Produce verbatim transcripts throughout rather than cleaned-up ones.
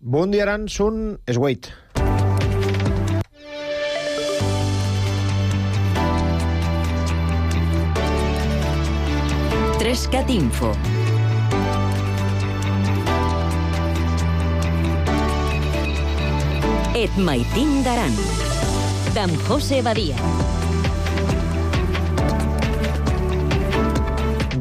Bon dia, Aran, són es huit. Trescat Info. Et maitin d'Aran, d'en José Badia.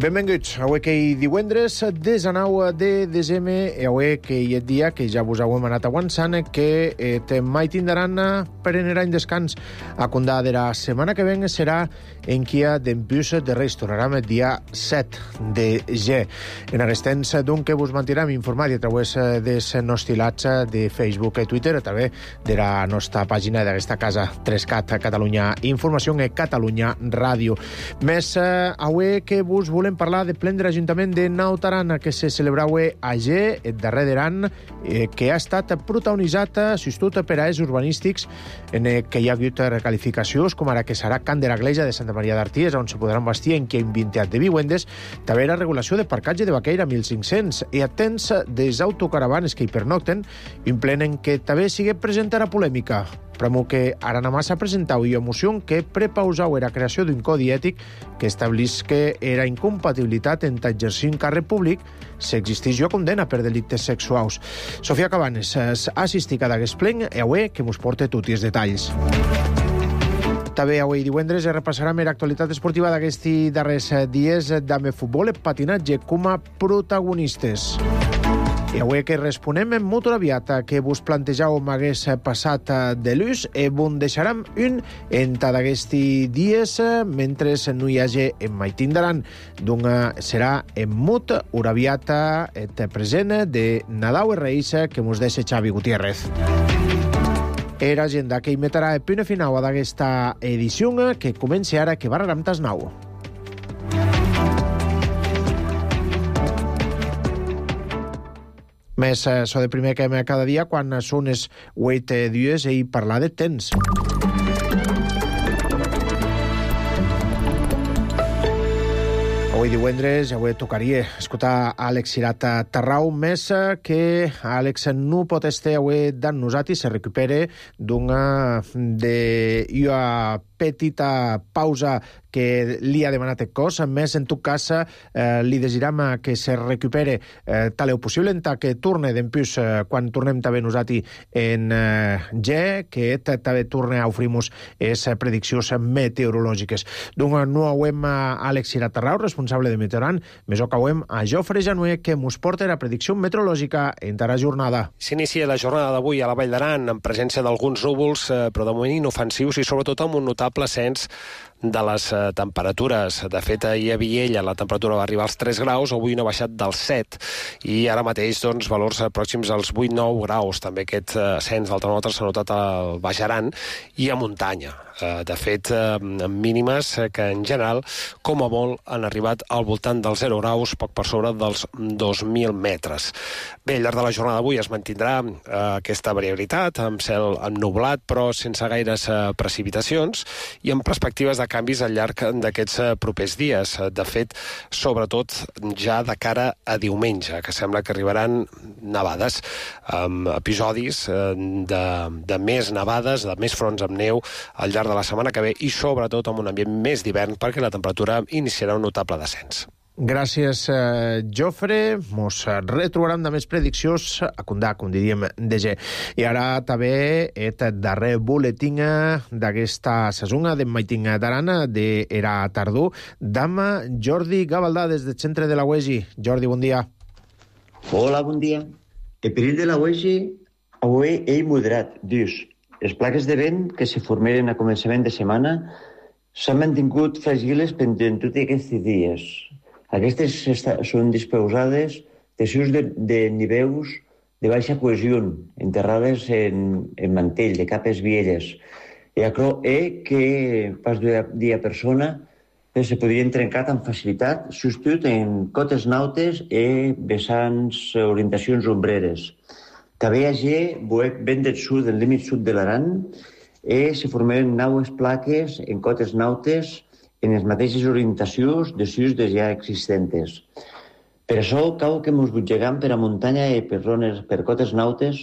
Benvinguts. Avui que hi divendres, desenou de desembre, i avui que hi és dia que ja vos heu anat avançant, que et maitin d'Aran prenarà en descans. A condà de la setmana que ven serà en quia d'empús de reis. Tornarem el dia set de gener. En aquest temps, doncs, que vos mantindrem informats a través dels nostres de Facebook i Twitter, a través de la nostra pàgina d'aquesta casa, Trescat Catalunya Informació i Catalunya Ràdio. Més, avui que vos volem parlar de plen de l'Ajuntament de Naut Aran, que se celebrava a G, el darrer d'Aran, eh, que ha estat protagonitzat, sustot per a els urbanístics, en eh, què hi ha hagut recalificacions, com ara que serà Can de la Gleja de Santa Maria d'Arties, on se podran bastir en què hi vintiat de vivendes, també la regulació de parcatge de Baqueira mil cinc-cents, i atents des autocaravanes que hi pernocten, implenen que també sigui present a polèmica. Premo que Aranamassa presentau i emoció que prepausau era creació d'un codi ètic que establís que era incompatibilitat entre exercir un càrrec públic si existís jo condena per delictes sexuals. Sofia Cabanes ha assistit a d'aquest plen i avui que mos porta tots els detalls. També avui divendres repassarem l'actualitat esportiva d'aquests darrers dies d'ame futbol i patinatge com a protagonistes. I avui que responem en motor aviat que vos plantejau m'hagués passat de l'ús i vos deixarem un entre d'aquests dies mentre no hi hagi en maitin d'Aran. Donc serà en mut una aviat et present de Nadal i Reis que mos deixa Xavi Gutiérrez. Era agenda que hi metrà el punt final d'aquesta edició que comença ara que barrarem tas nou. Més so de primer que cada dia quan són les vuit dies i parlar de temps. Avui divendres, avui tocaria escoltar Àlex Cirat Tarrau, més que Àlex no pot estar avui d'en nosaltres, se recupere d'una de una petita pausa que li ha demanat el cos. A més, en tot cas, eh, li desirem que se recupere eh, tal o possible, en que torne d'empús eh, quan tornem també nosaltres en eh, G, que també torne a oferir-nos les prediccions meteorològiques. Donc, no hauem a Àlex Cirat Tarrau, responsable de Meteoran, més o que hauem a Jofre Januer, que mos porta la predicció meteorològica en la jornada. S'inicia la jornada d'avui a la Vall d'Aran, en presència d'alguns núvols, eh, però de moment inofensius i sobretot amb un notable ascens de les eh, temperatures. De fet, ahir a Viella la temperatura va arribar als tres graus, avui no ha baixat dels set, i ara mateix doncs, valors pròxims als vuit nou graus. També aquest eh, ascens del termòmetre s'ha notat al Baix Aran i a muntanya. Eh, de fet, eh, mínimes que en general, com a molt, han arribat al voltant dels zero graus, poc per sobre dels dos mil metres. Bé, al llarg de la jornada d'avui es mantindrà eh, aquesta variabilitat, amb cel ennublat, però sense gaires eh, precipitacions, i amb perspectives de canvis al llarg d'aquests propers dies. De fet, sobretot ja de cara a diumenge, que sembla que arribaran nevades, amb episodis de, de més nevades, de més fronts amb neu al llarg de la setmana que ve i sobretot amb un ambient més d'hivern perquè la temperatura iniciarà un notable descens. Gràcies, eh, Jofre. Mos retrobarem de més prediccions a condà, com diríem, de G. I ara també el darrer boletín d'aquesta sesona de maitin d'Aran d'era tardor d'ama Jordi Gavaldà des del centre de la U E G I. Jordi, bon dia. Hola, bon dia. El perill de la U E G I avui és moderat, dius. Les plaques de vent que se formeren a començament de setmana s'han mantingut fràgiles pendent tots aquests dies. Aquestes són disposades de sus de, de nivells de baixa cohesió, enterrades en, en mantell, de capes vielles. I això és que pas de dia persona se podrien trencar amb facilitat, substitut en cotes nautes i vessants orientacions ombreres. També hi ha vent del sud, del límit sud de l'Aran, i se formen naues plaques en cotes nautes en les mateixes orientacions de sus de ja existents. Per això cau que mos butgegam per a muntanya i per zones, per cotes nautes,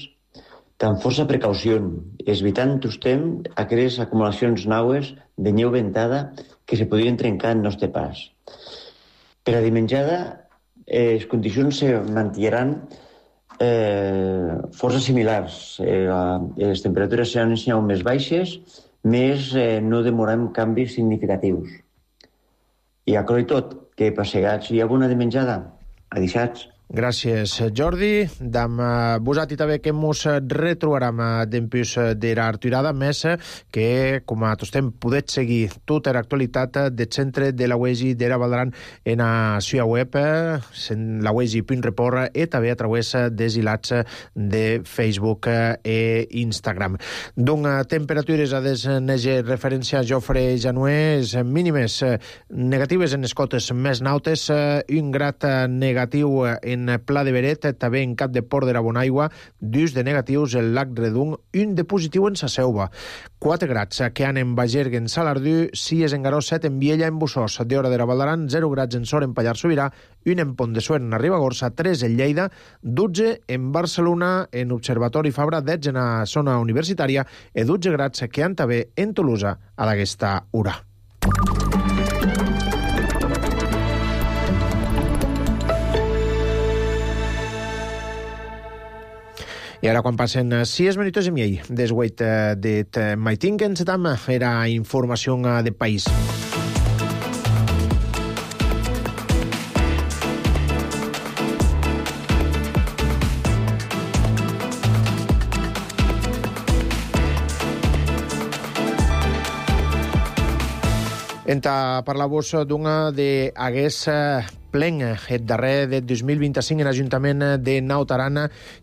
tan força precaució, evitant tostem aquelles acumulacions naues de neu ventada que se podrien trencar en nostre pas. Per a dimenjada, eh, les condicions se mantindran eh, força similars. Eh, les temperatures seran més baixes, més eh, no demorem canvis significatius. I a i tot, que passegats hi ha bona dimenjada. Adixats. Gràcies, Jordi. Dam vosati també que mos retrobaram dempús d'era arturada, més que, com a tostem, podets seguir tota l'actualitat del centre de la U E G I d'era Valdaran en la seva web, la u e g i punt report, i també a través dels hilats de Facebook i Instagram. D'un temperatures a desneger referència a Jofre Januès mínimes negatives en les cotes més nautes, un grat negatiu en en Pla de Beret, també en Cap de Port de la Bonaigua, dos de negatius el Lac Redung, un de positiu en Sa Selva. quatre grats que han en Bagergue en Salardú, sis en Garó, set en Viella en Bussós, de Hora de la Valdaran, zero grats en Sor en Pallar Sobirà, un en Pont de Suert en Ribagorça, tres en Lleida, dotze en Barcelona, en Observatori Fabra, dotze en la zona universitària, i dotze grats que han també en Tolosa a d'aquesta hora. I ara, quan passen sis minuts i mig des huit dit maitin, que encetam era informació de país. Enta parlar-vos d'una d'aguest plen, el darrer de dos mil vint-i-cinc en l'Ajuntament de Naut Aran,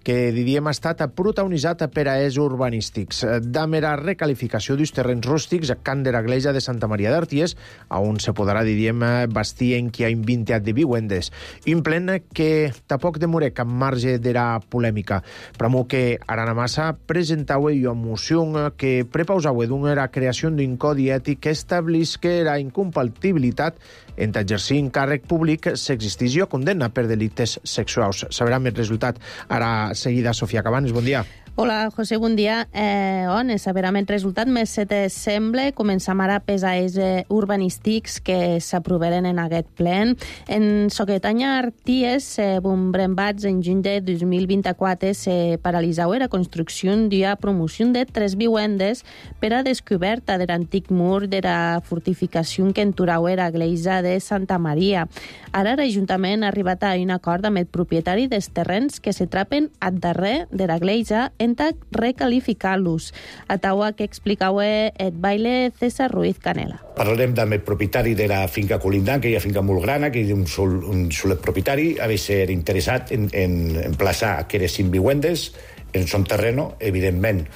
que diríem ha estat protagonitzat per a es urbanístics. D'amera recalificació dels terrenys rústics a Can de la Gleja de Santa Maria d'Arties, on se podrà, diríem, bastir en qui ha invintat de vivendes. Un plen que tampoc demoré cap marge d'era polèmica. Pramo que Aranamassa presentava una moció que prepausava d'una creació d'un codi ètic que establisca la incompatibilitat entre exercir un càrrec públic s'existís o condemna per delictes sexuals. Sabrà més resultat ara seguida. Sofia Cabanes, bon dia. Hola, José, bon dia. Eh, on saberà el resultat més se te sembla. Començam ara pesades eh, urbanístics que s'aproveren en aquest plen. En Soquetanya Arties, eh, bombrembats en juny de dos mil vint-i-quatre, se paralitzau la construcció d'una promoció de tres vivendes per a descoberta de l'antic mur de la fortificació que enturau era Gleisa de Santa Maria. Ara l'Ajuntament ha arribat a un acord amb el propietari dels terrenys que se trapen al darrer de la Gleisa en recalificar-los. A taua que explicava el baile César Ruiz Canela. Parlarem amb el propietari de la finca colindant, que hi ha finca molt grana, que hi ha un sol, un solet propietari, ha de ser interessat en, en emplaçar aquelles cinc vivendes en son terreno, evidentment,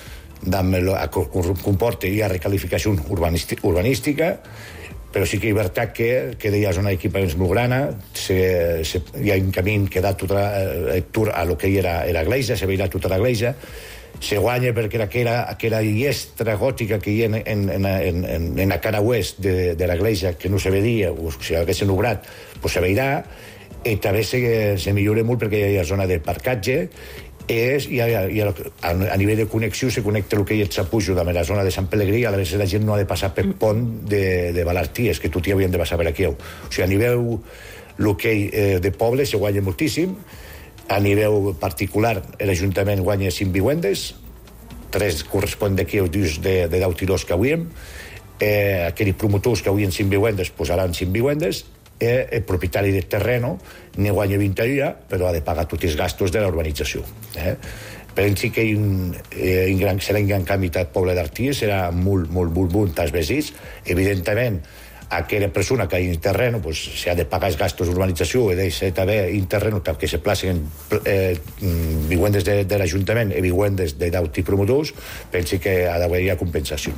comporta ja recalificació urbanística, però sí que és veritat que, que hi ha una equipaments molt grana, se, se, hi ha un camí que da tota la, a lo que era, era Gleisa, se veia tota la Gleisa, se guanya perquè aquella, aquella llestra gòtica que hi ha en, en, en, en, en la cara oest de, de la Gleisa, que no se veia, o si haguessin obrat, pues se veirà, i també se, se millora molt perquè hi ha zona de parcatge, és, i a, i a, a nivell de connexió se connecta el que hi ha Sapujo de la zona de Sant Pelegrí, a vegades la gent no ha de passar per pont de, de Balarties, que tot hi havien de passar per aquí. O sigui, a nivell l'hoquei eh, de poble se guanya moltíssim, a nivell particular l'Ajuntament guanya cinc vivendes, tres correspon d'aquí els dius de, de deu tirós que avui hem, eh, aquells promotors que avui en cinc vivendes posaran cinc vivendes, eh, el propietari del terreno ne guanya vint dia, però ha de pagar tots els gastos de la urbanització. Eh? Pensi que un, eh, un gran, serà un gran canvi del poble d'Arties, serà molt, molt, molt, molt als vesits. Evidentment, aquella persona que ha un terreno, pues, se ha de pagar els gastos d'urbanització i deixa també un terreno que se placen eh, vivendes de, de l'Ajuntament i vivendes de d'auti promotors, pensi que ha d'haver compensació.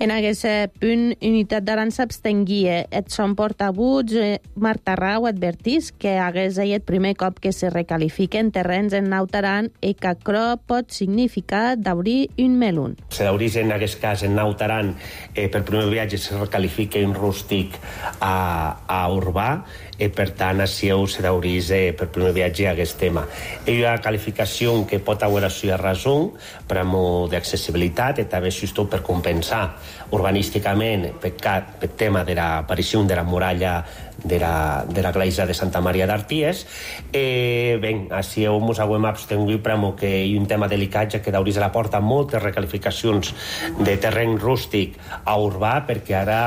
En aquest punt, Unitat d'Aran s'abstenguia. Et son portabuts, eh, Marta Rau, advertís que hagués el primer cop que se recalifiquen terrenys en Naut Aran i que això pot significar d'obrir un melun. Se d'obrís en aquest cas en Naut Aran, eh, per primer viatge se recalifica un rústic a, a urbà, e per tant així se dauris eh, per primer viatge a aquest tema. Hi ha una qualificació que pot haver la sua raó per amor d'accessibilitat i també justo per compensar urbanísticament per, per tema de l'aparició de la muralla de la, de la Gleisa de Santa Maria d'Arties. Eh, ben, així ens hem abstingut per amor que hi ha un tema delicat, ja que dauris a la porta moltes recalificacions de terreny rústic a urbà, perquè ara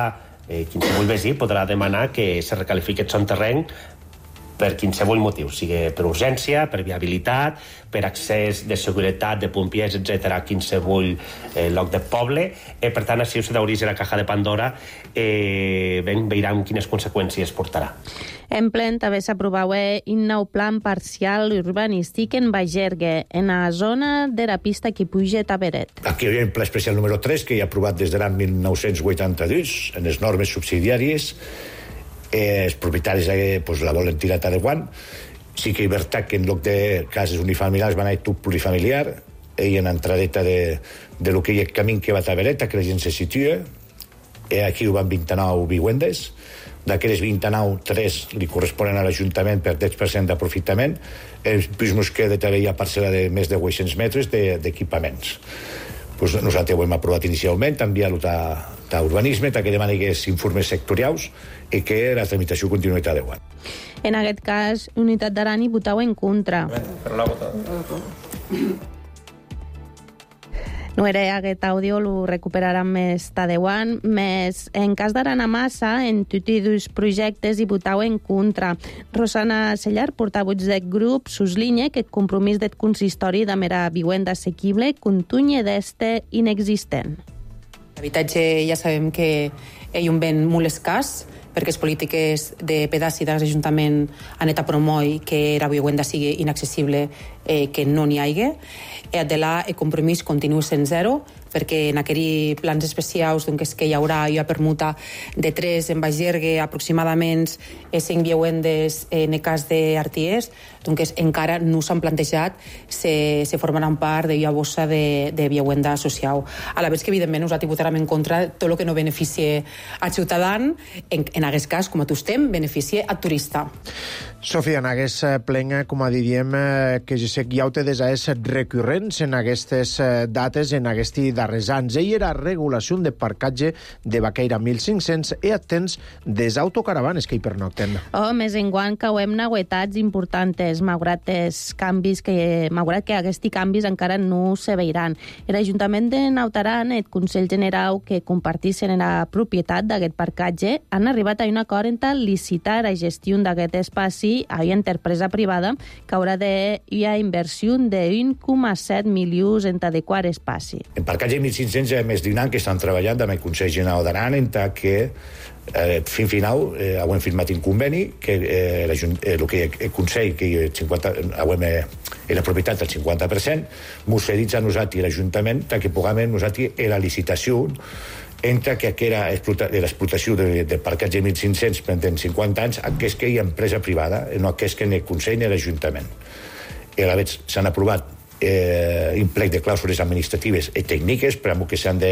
eh, qualsevol veí podrà demanar que se recalifiqui el seu terreny per qualsevol motiu, sigui per urgència, per viabilitat, per accés de seguretat, de pompiers, etcètera, a qualsevol eh, lloc de poble. Eh, per tant, així us d'obrir la caja de Pandora, eh, ben, veiran quines conseqüències portarà. En plen també s'aprovava un nou plan parcial urbanístic en Bagergue, en la zona de la pista que puja a Beret. Aquí hi havia un pla especial número tres que hi ha aprovat des de l'any mil nou-cents vuitanta-dos en les normes subsidiàries. Eh, els propietaris eh, pues, la volen tirar a Taiwan. Sí que hi ha que en lloc de cases unifamiliars van a tot plurifamiliar, i en entradeta de, de lo que hi ha el camí que va a Bereta, que la gent se situa. Eh, aquí ho van vint-i-nou vivendes. D'aquelles vint-i-nou, tres li corresponen a l'Ajuntament per deu per cent d'aprofitament. Els pisos que de també hi ha parcel·la de més de vuit-cents metres d'equipaments. Pues nosaltres ho hem aprovat inicialment, enviar-lo a urbanisme, que demana que és informes sectorials i que la tramitació continuï a deu anys. En aquest cas, Unitat d'Aran hi votau en contra. Però l'ha votat. No era aquest àudio, lo recuperaran més tardeuant, més en cas d'Aran a Massa, en tots i dos projectes hi votau en contra. Rosana Sellar, portavoig del grup, suslinya que el compromís del consistori de mera vivenda assequible continua d'este inexistent. L'habitatge ja sabem que hi ha un ben molt escàs, perquè les polítiques de pedaci de l'Ajuntament han anat a promoure que la vivenda sigui inaccessible, eh, que no n'hi hagi. Eh, de là, el compromís continua sent zero, perquè en aquells plans especials doncs, que hi haurà hi ha permuta de tres en Bagergue, aproximadament cinc vivendes en el cas d'Arties, doncs encara no s'han plantejat se, se formaran part de la bossa de, de vivenda social. A la vegada que, evidentment, nosaltres votarem en contra tot el que no beneficie al ciutadà, en, en aquest cas, com a tu estem, beneficie al turista. Sofia, en aquest plen, com a diríem, que jo sé que hi ha des recurrents en aquestes dates, en aquests darrers anys. Ell era regulació de parcatge de Baqueira mil cinc-cents i atents des autocaravanes que hi pernocten. Oh, més enguany que ho hem novetats importants, malgrat els canvis que, malgrat que aquests canvis encara no se veiran. L'Ajuntament de Nautaran i el Consell General que compartissin la propietat d'aquest parcatge han arribat a un acord en licitar la gestió d'aquest espaci a una empresa privada que haurà de hi ha inversió de un coma set milions en adequar espaci. En parcatge mil cinc-cents hi ha més d'un any que estan treballant amb el Consell General d'Aran en que eh, fin final eh, hem firmat un conveni que eh, eh, el, que el Consell que el cinquanta, hem, eh, la propietat del cinquanta per cent mos cedits a nosaltres i l'Ajuntament que puguem nosaltres en la licitació entre que l'explotació del de parcatge mil cinc-cents pendent cinquanta anys aquest que hi ha empresa privada, no aquest que ni el Consell ni l'Ajuntament. I a la vegada s'han aprovat eh, un plec de clàusules administratives i tècniques per a que s'han de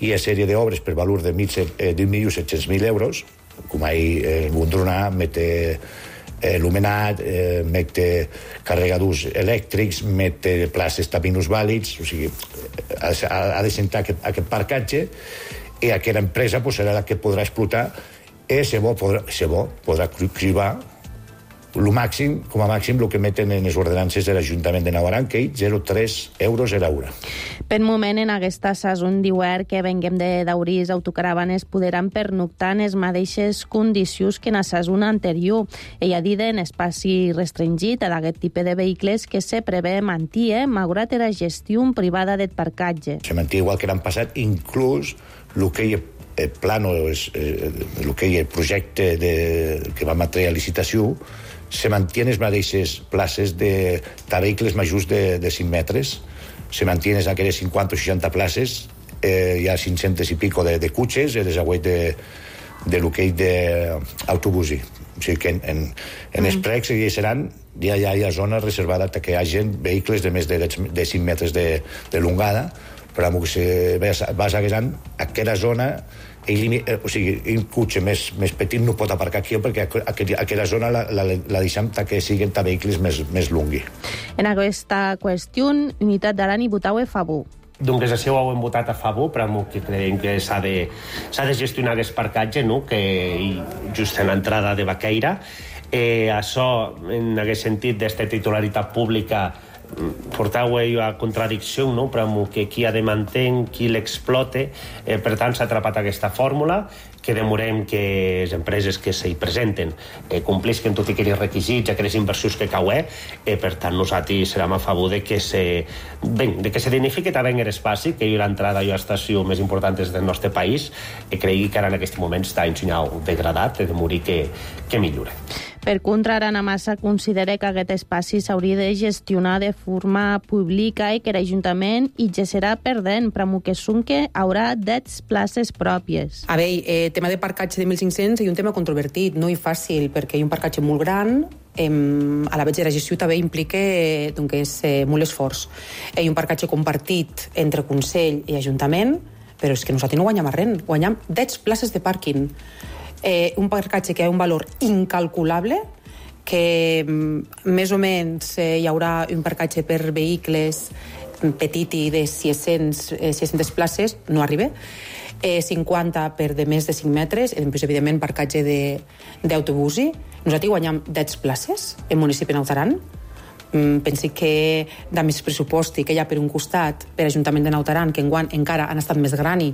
hi ha sèrie d'obres per valor de d'un milió set-cents mil euros, com ahir eh, Gondrona mete eh, il·luminat, eh, mete carregadors elèctrics, mete places tabinos vàlids, o sigui, ha, ha de sentar aquest, aquest parcatge i aquella empresa pues, serà la que podrà explotar i se bo podrà, se bo podrà cribar el màxim, com a màxim el que meten en les ordenances de l'Ajuntament de Nautaran, que és zero coma tres euros a l'hora. Per moment, en aquesta sason d'hivern que venguem de Daurís, autocaravanes podran pernoctar en les mateixes condicions que en la sason anterior. Ella ha dit en espai restringit a d'aquest tipus de vehicles que se prevé mantir, malgrat la gestió privada del parcatge. Se manté igual que l'han passat, inclús el que hi ha el plano, el, el que hi ha el projecte de, que vam treure a licitació, se mantien les mateixes places de, de vehicles majors de, de cinc metres, se mantien aquelles cinquanta o seixanta places, eh, hi ha cinc-cents i pico de, de cotxes i desagüet de, de lo que hi ha d'autobusi. O sigui que en, en, en mm. els precs hi seran, ja, ja hi ha zona reservada perquè hi ha gent, vehicles de més de, de cinc metres de, de longada, però que se vas aguesant aquella zona ell, eh, o sigui, un cotxe més, més petit no pot aparcar aquí perquè aquella, aquella zona la, la, la deixem que siguin vehicles més, més lungui. En aquesta qüestió, Unitat d'Aran i votau a favor. Donc, des d'ací ho hem votat a favor, però que creiem que s'ha de, s'ha de gestionar aquest parcatge, no? Que just en l'entrada de Baqueira. Eh, això, en aquest sentit, d'esta titularitat pública, portau a contradicció, no? Però que qui ha de mantenir, qui l'explote, eh, per tant s'ha atrapat aquesta fórmula, que demorem que les empreses que s'hi presenten eh, complisquen tot i aquells requisits, aquelles inversions que caué, eh, per tant nosaltres serem a favor de que se, ben, de que se dignifique també l'espai, que hi ha l'entrada a l'estació més important del nostre país, i cregui que ara en aquest moment està ensenyat degradat, de morir que, que millora. Per contra, Arana Massa considera que aquest espai s'hauria de gestionar de forma pública i que l'Ajuntament hi serà perdent, però que Sunque haurà dez places pròpies. A veure, eh, tema de parcatge de mil cinc-cents és un tema controvertit, no i fàcil, perquè hi ha un parcatge molt gran, eh, a la vegada de la gestió també implica eh, doncs, eh, molt esforç. Hi ha un parcatge compartit entre Consell i Ajuntament, però és que nosaltres no guanyem res, guanyem dez places de pàrquing. Eh, un parcatge que ha un valor incalculable, que mm, més o menys eh, hi haurà un parcatge per vehicles petit i de sis-centes places, no arriba, eh, cinquanta per de més de cinc metres, i després, evidentment, parcatge d'autobusi. Nosaltres guanyem dez places en municipi de Naut Aran. Mm, pensi que de més pressupost que hi ha per un costat per l'Ajuntament de Naut Aran, que enguany encara han estat més grani.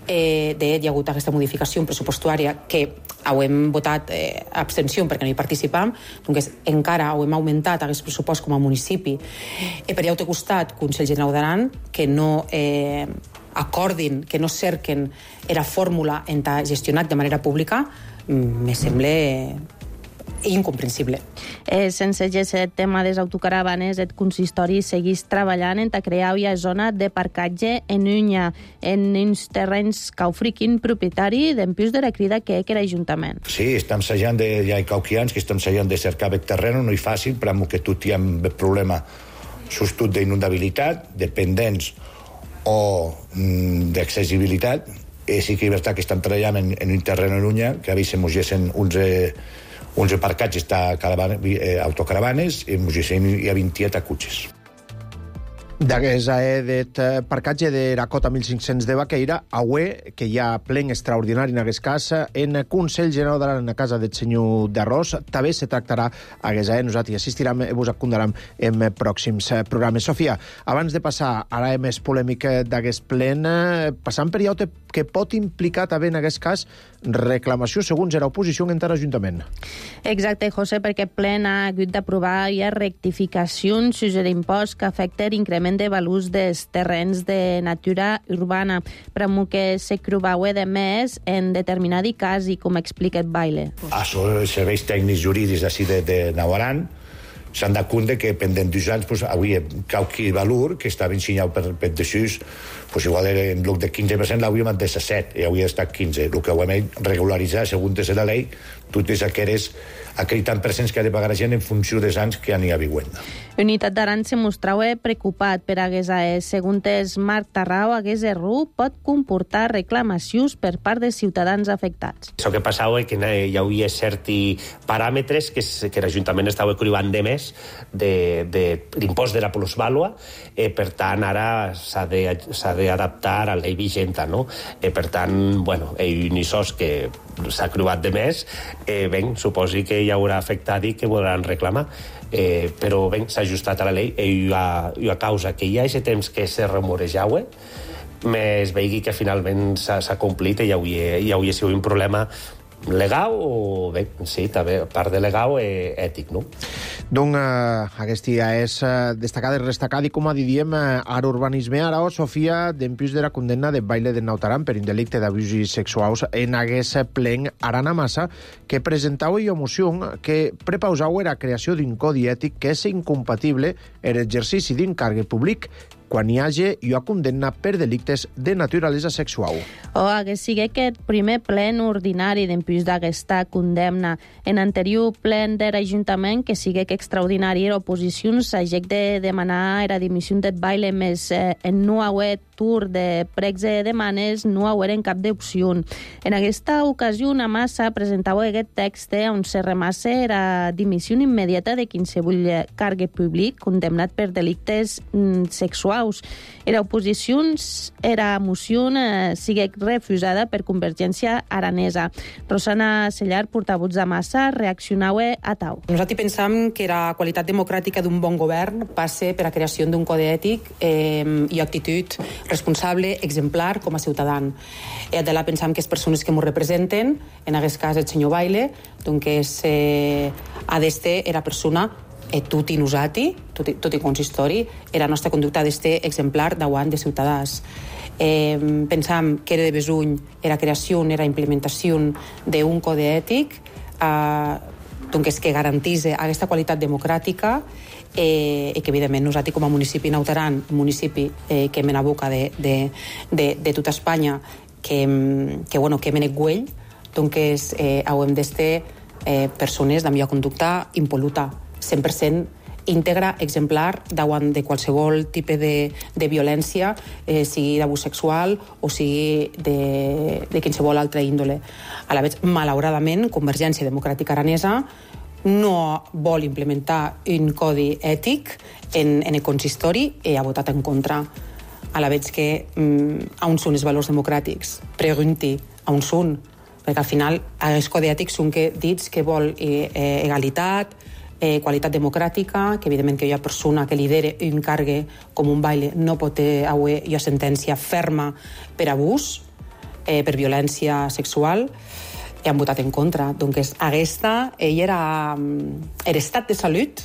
Eh, de fet, hi ha hagut aquesta modificació pressupostuària que hem votat eh, abstenció perquè no hi participam, doncs encara hem augmentat aquest pressupost com a municipi. Eh, per l'altre costat, Consell General d'Aran, que no eh, acordin, que no cerquen la fórmula en gestionar de manera pública, me sembla incomprensible. Eh, sense aquest tema de les autocaravanes, el consistori segueix treballant en crear una zona de parcatge en Unya, en uns terrenys caufriquin propietari d'empius de la crida que és l'Ajuntament. Sí, estem assajant, de, hi ha cauquians que estem assajant de cercar aquest terreny, no és fàcil, però que tot hi ha un problema sostut d'inundabilitat, dependents o mm, d'accessibilitat. Eh, sí que és veritat que estem treballant en, en un terreny en Unya, que a vegades mos gessen uns... Eh, uns parcatges està eh, autocaravanes i hi ha vint-i-set cotxes. D'aquest eh, parcatge de la cota mil cinc-cents de Baqueira, avui, que hi ha plen extraordinari en aquest cas, en Consell General d'Aran, en la casa del senyor d'Arròs, també se tractarà aquest eh, nosaltres assistirem i vos acondarem en pròxims programes. Sofia, abans de passar a la més polèmica d'aquest plen, passant per allò que pot implicar també en aquest cas reclamació segons era oposició en l'Ajuntament. Exacte, José, perquè el plen ha hagut d'aprovar ja rectificacions sobre l'impost que afecta l'increment de valors dels terrenys de natura urbana, però que se creuava de més en determinat cas i com explica el Baile. Això, els serveis tècnics jurídics d'ací de, de Naut Aran s'han de compte que pendent dos anys pues, avui qualque valor que estava ensenyat per, per desús, pues, igual en lloc de quinze per cent l'hauríem de set i hauria estat quinze. El que ho hem regularitzat segons la llei totes aquelles aquell tant per cent que ha de pagar la gent en funció dels anys que n'hi ha vivienda. Unitat d'Aran se mostrava preocupat per hagués a segons Marc Tarrau, hagués error pot comportar reclamacions per part dels ciutadans afectats. Això que passava és que hi havia certs paràmetres que, que l'Ajuntament estava cribant de més de, de l'impost de la plusvàlua, eh, per tant ara s'ha d'adaptar a la llei vigenta, no? Eh, per tant, bueno, ell ni sos que s'ha cribat de més, eh, ben, suposi que hi haurà afectat i que voldran reclamar. Eh, però ben, s'ha ajustat a la llei i a, i a causa que hi ha aquest temps que se remorejava, més vegi que finalment s'ha complit i hi hauria, hi hauria sigut un problema legal o bé, sí, també part de legal i ètic, no? Donc, eh, aquest dia és eh, destacat i destacat i, com a diríem, eh, ara urbanisme, ara, o Sofia, d'empius de la condemna de Baile de Naut Aran per un delicte d'abusos sexuals en aquest plen Arana Massa, que presentava una moció que prepausava la creació d'un codi ètic que és incompatible en l'exercici d'un càrrec públic quan hi hagi una condemna per delictes de naturalesa sexual. O hagués sigut aquest primer plen ordinari d'empús d'aquesta condemna. En anterior plen de l'Ajuntament, que sigue que extraordinari era oposició, s'hagec de demanar la dimissió del baile, més eh, en no haver tour de pregs de demanes, no hagueren cap d'opció. En aquesta ocasió, una massa presentava aquest text on se remassa la dimissió immediata de qualsevol càrrec públic condemnat per delictes mm, sexuals. Era oposició, era moció eh, sigue refusada per Convergència Aranesa. Rosana Sellar, portavoz de massa, reaccionava a tau. Nosaltres pensam que la qualitat democràtica d'un bon govern passa per la creació d'un codi ètic eh, i actitud responsable, exemplar com a ciutadà. I de la pensam que les persones que ens representen, en aquest cas el senyor Baile, doncs és, eh, ha d'estar la persona e tutti nosati, tutti, tutti consistori, e la nostra conducta ha d'estar exemplar davant de ciutadans. Eh, pensam que era de besuny era creació, era implementació d'un codi ètic eh, doncs que garantís aquesta qualitat democràtica eh, i que evidentment nosaltres com a municipi Naut Aran, municipi eh, que mena boca de, de, de, de tota Espanya, que, que, bueno, que mena güell, doncs eh, haurem d'estar eh, persones de millor conducta impol·luta, cent per cent íntegra, exemplar, davant de qualsevol tipus de, de violència, eh, sigui d'abús sexual o sigui de, de qualsevol altra índole. A la vegada, malauradament, Convergència Democràtica Aranesa no vol implementar un codi ètic en, en el consistori i ha votat en contra. A la vegada que mm, on són els valors democràtics? Pregunti on són, perquè al final els codi ètics són que dits que vol eh, eh, egalitat, Eh, qualitat democràtica, que evidentment que hi ha persona que lidera un càrrec com un Baile no pot haver una sentència ferma per abús, eh, per violència sexual, i han votat en contra. Doncs aquesta ell era l'estat de salut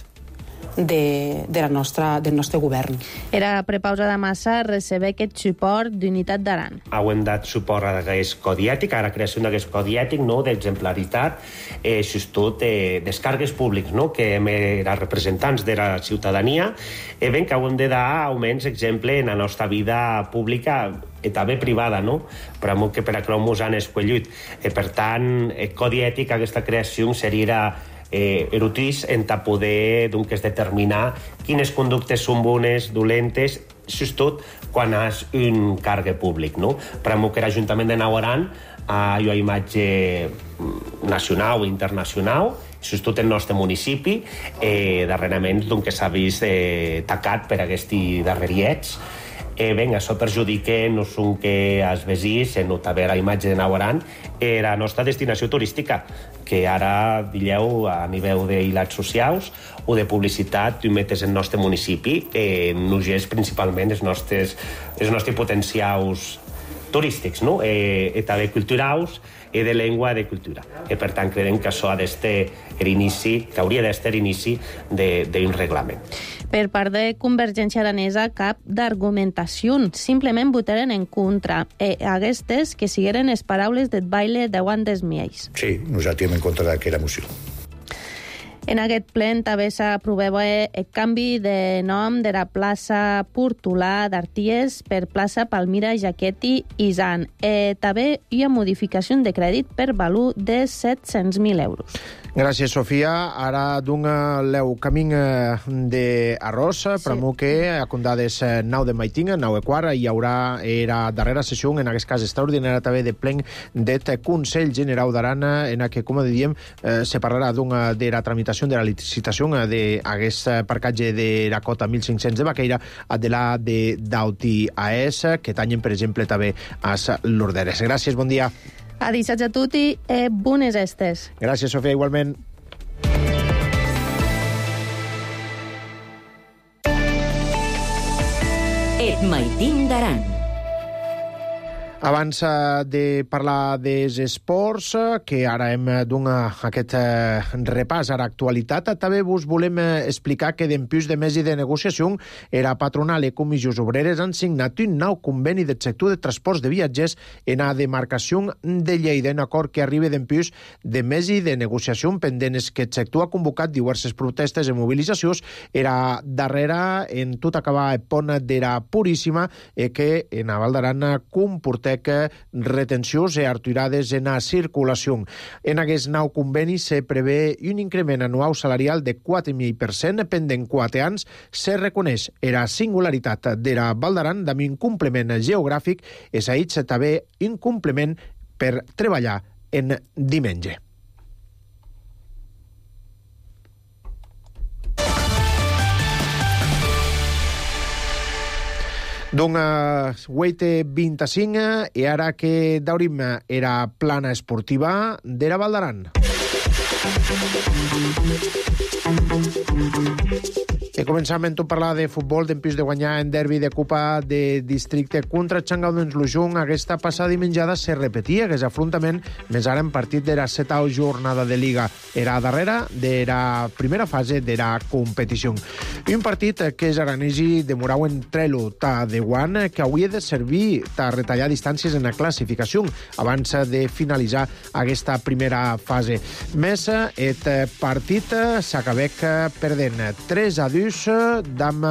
de, de la nostra, del nostre govern. Era prepausa de massa receber aquest suport d'Unitat d'Aran. Hem dat suport a aquest codi ètic, a la creació d'aquest codi ètic, no?, d'exemplaritat, eh, sobretot eh, dels càrrecs públics, no?, que hem els representants de la ciutadania, eh, ben que hem de dar almenys exemple en la nostra vida pública i també privada, no?, però que per a que ens han escollit. Eh, per tant, el codi ètic, aquesta creació seria eh, erotís en poder doncs, determinar quines conductes són bones, dolentes, sobretot quan és un càrrec públic, no? Per a que l'Ajuntament de Naut Aran ha una imatge nacional i internacional, sobretot el nostre municipi, eh, darrerament doncs, que s'ha vist eh, tacat per aquests darreriets. Eh, ben, això perjudica no són que els vesins, en també la imatge de Naut Aran, era la nostra destinació turística, que ara, digueu, a nivell d'hilats socials o de publicitat, tu metes el nostre municipi, eh, nogés principalment els nostres, els nostres potencials turístics, no? Eh, i també culturals, i de llengua i de cultura. I per tant, creiem que això ha d'estar l'inici, que hauria d'estar l'inici d'un reglament. Per part de Convergència Aranesa, cap d'argumentació. Simplement votaren en contra. E aquestes que sigueren les paraules del Baile davant dels miels. Sí, nosaltres hem en contra d'aquesta moció. En aquest plen també s'aprovava el canvi de nom de la plaça Portolà d'Arties per plaça Palmira Jaqueti i Zan. E també hi ha modificació de crèdit per valor de set-cents mil euros. Gràcies, Sofia. Ara d'un leu camí d'arròs, sí. Però que a condades nou de maitinga, nou e quart, hi haurà la darrera sessió, en aquest cas extraordinària també de plen del Consell General d'Aran, en què, com diem, se parlarà de la tramitació de la licitació d'aquest parcatge de la cota mil cinc-cents de Baqueira a de la de Dauti A S, que tanyen, per exemple, també a l'Orderes. Gràcies, bon dia. A dissatge a tutti e bones estes. Gràcies, Sofia, igualment. Et maitin d'Aran. Abans de parlar dels esports, que ara hem donat aquest repàs a l'actualitat, també vos volem explicar que dempús de mesi de negociació era patronal i comissions obreres han signat un nou conveni del sector de transports de viatgers en la demarcació de Lleida, un acord que arriba dempús de mesi de negociació pendents que el sector ha convocat diverses protestes i mobilitzacions. Era darrere en tot acabar el pont de la Puríssima que en la Val d'Aran comporta que retencions i aturades en la circulació. En aquest nou conveni se prevé un increment anual salarial de quatre mil per cent pendent quatre anys. Se reconeix la singularitat de la Val d'Aran amb un complement geogràfic i s'ha dit també un complement per treballar en diumenge. Doncs huit vint-i-cinc i ara que daurim era plana esportiva de la Val d'Aran. I començam a parlar de futbol, dempús de guanyar en derbi de Copa de Districte contra Changaudens Lujung. Aquesta passada dimenjada se repetia aquest afrontament, més ara en partit de la setau jornada de Liga. Era darrere de la primera fase de la competició. Un partit que els aranesi demorau en trelo ta de guant que hauria de servir ta retallar distàncies en la classificació abans de finalitzar aquesta primera fase. Més, et partit s'acabec perdent tres a dos d'am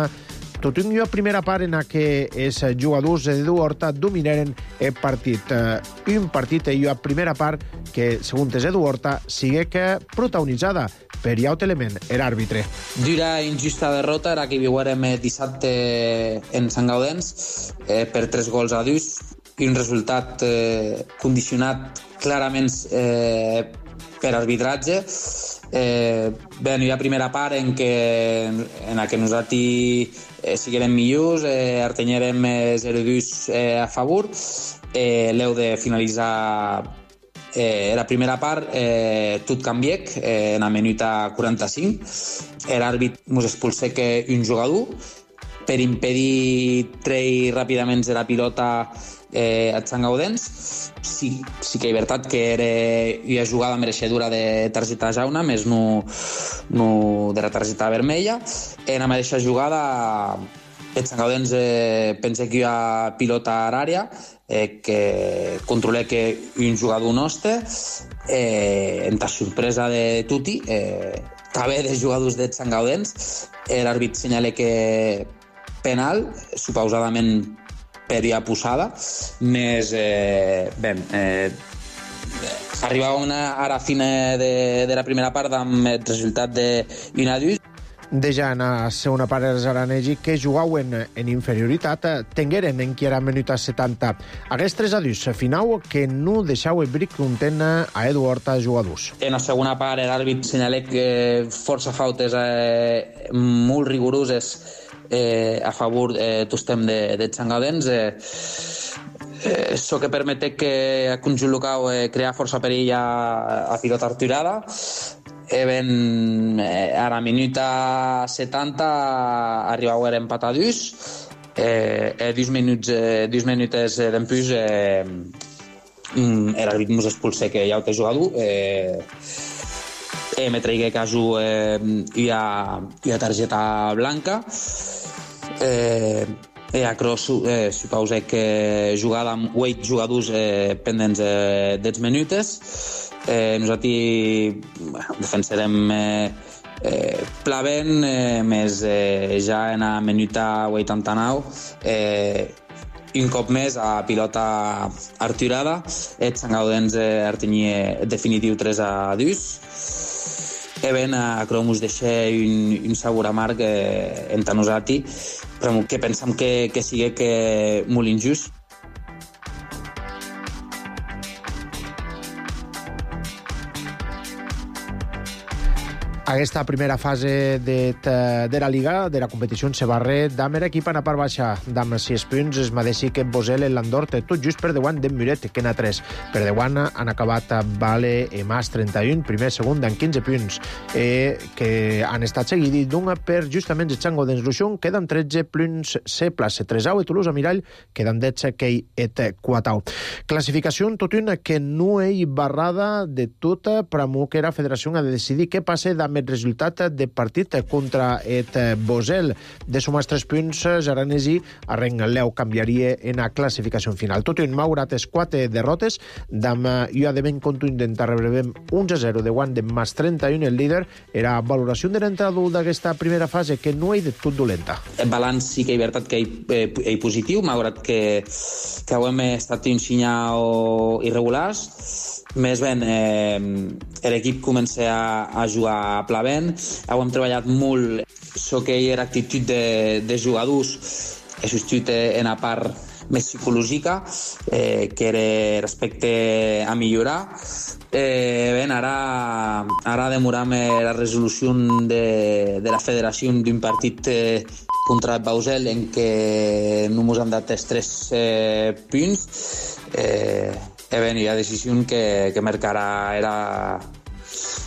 tot una primera part en què els jugadors d'Edu Horta dominaren el partit. Un partit i una primera part que, segons Edu Horta, sigui que protagonitzada per iaut element, l'àrbitre. Dura injusta derrota era que viurem dissabte en Sant Gaudens eh, per tres gols a dos i un resultat eh, condicionat clarament eh, per arbitratge. Eh, bé, hi ha primera part en què en la que nosaltres eh, siguem millors, eh, artenyerem zero dos eh, a favor. Eh, l'heu de finalitzar eh, la primera part, eh, tot canviec eh, en la minuta quaranta-cinc. L'àrbit ens expulsé que un jugador per impedir treure ràpidament la pilota eh, a Sant Gaudens. Sí, sí que és veritat que era una jugada mereixedora de targeta jauna, més no, no de la targeta vermella. En la mateixa jugada, el Sant Gaudens eh, pensa que hi ha pilota a l'àrea, eh, que controla que un jugador nostre, eh, en la sorpresa de tutti, eh, també de jugadors de Sant Gaudens, l'àrbit senyala que penal, supausadament per ja posada, més eh, bé, eh, arribava una, a la fina de, de la primera part amb el resultat de un a dos. Deja en la segona part els aranesi que jugaven en inferioritat tingueren en qui era minuta setanta. Aquests tres a dos final que no deixau el bric content a Edu Horta jugadors. En la segona part l'àrbit senyalà que força fautes eh, molt rigoroses Eh, a favor eh, tostem de, de Sant Gaudens. Eh, eh, això que permete que a conjunt local eh, crear força perill a, a pilota arturada. Eh, ben, eh, a la minuta setanta arribau a empatar a dos. Eh, eh, dos minuts, eh, dos minutes eh, d'empús eh, l'àrbit mos expulsé que hi ha un jugador. Eh, eh, me traigué caso eh, hi, ha, hi ha targeta blanca. Eh, eh, acro eh, supose que jugada amb vuit jugadors eh, pendents eh, dels minutes. Eh, nosaltres bueno, defensarem eh, eh, plavent, eh, més eh, ja en la minuta vuitanta-nou eh, un cop més a pilota arturada. El Sant Gaudens eh, artenia definitiu tres a dos. E ben, a Cromus deixa un, un sabor amarg eh, entre nosaltres, però que pensam que, que sigui que molt injust. Aquesta primera fase de, de la Liga, de la competició en se barre d'Amer equip en a part baixa d'Am sis punts, es madeixi que Bosel en l'Andorte, tot just per davant d'en Muret, que n'ha tres. Per davant han acabat Vale i Mas trenta-un, primer, segon, amb quinze punts, eh, que han estat seguits d'un per justament el Chango d'ens Luixón, queden tretze punts se plaça. Tresau i Toulouse a Mirall, queden dotze que et quatau. Classificació en tot una que no hi barrada de tota, però que la federació ha de decidir què passa amb el resultat de partit contra et Bosel. De sumar tres punts, Jaranesi arrengleu canviaria en la classificació final. Tot un maurat es quatre derrotes, d'am jo de ben contundent arrebrem un a zero de guant de Mas trenta-un, el líder. Era valoració de l'entrador d'aquesta primera fase, que no hi de tot dolenta. El balanç sí que hi veritat que hi, eh, hi positiu, malgrat que, que hem estat un sinyal irregulars. Més ben, eh, l'equip comença a, a jugar a pla vent. Hem treballat molt el que era actitud de, de jugadors, he substituït en la part més psicològica, eh, que era respecte a millorar. Eh, ben, ara, ara demorem la resolució de, de la federació d'un partit eh, contra el Bausel en què no ens han dat els tres eh, punts. Eh, eh, ben, hi ha decisió que, que marcarà era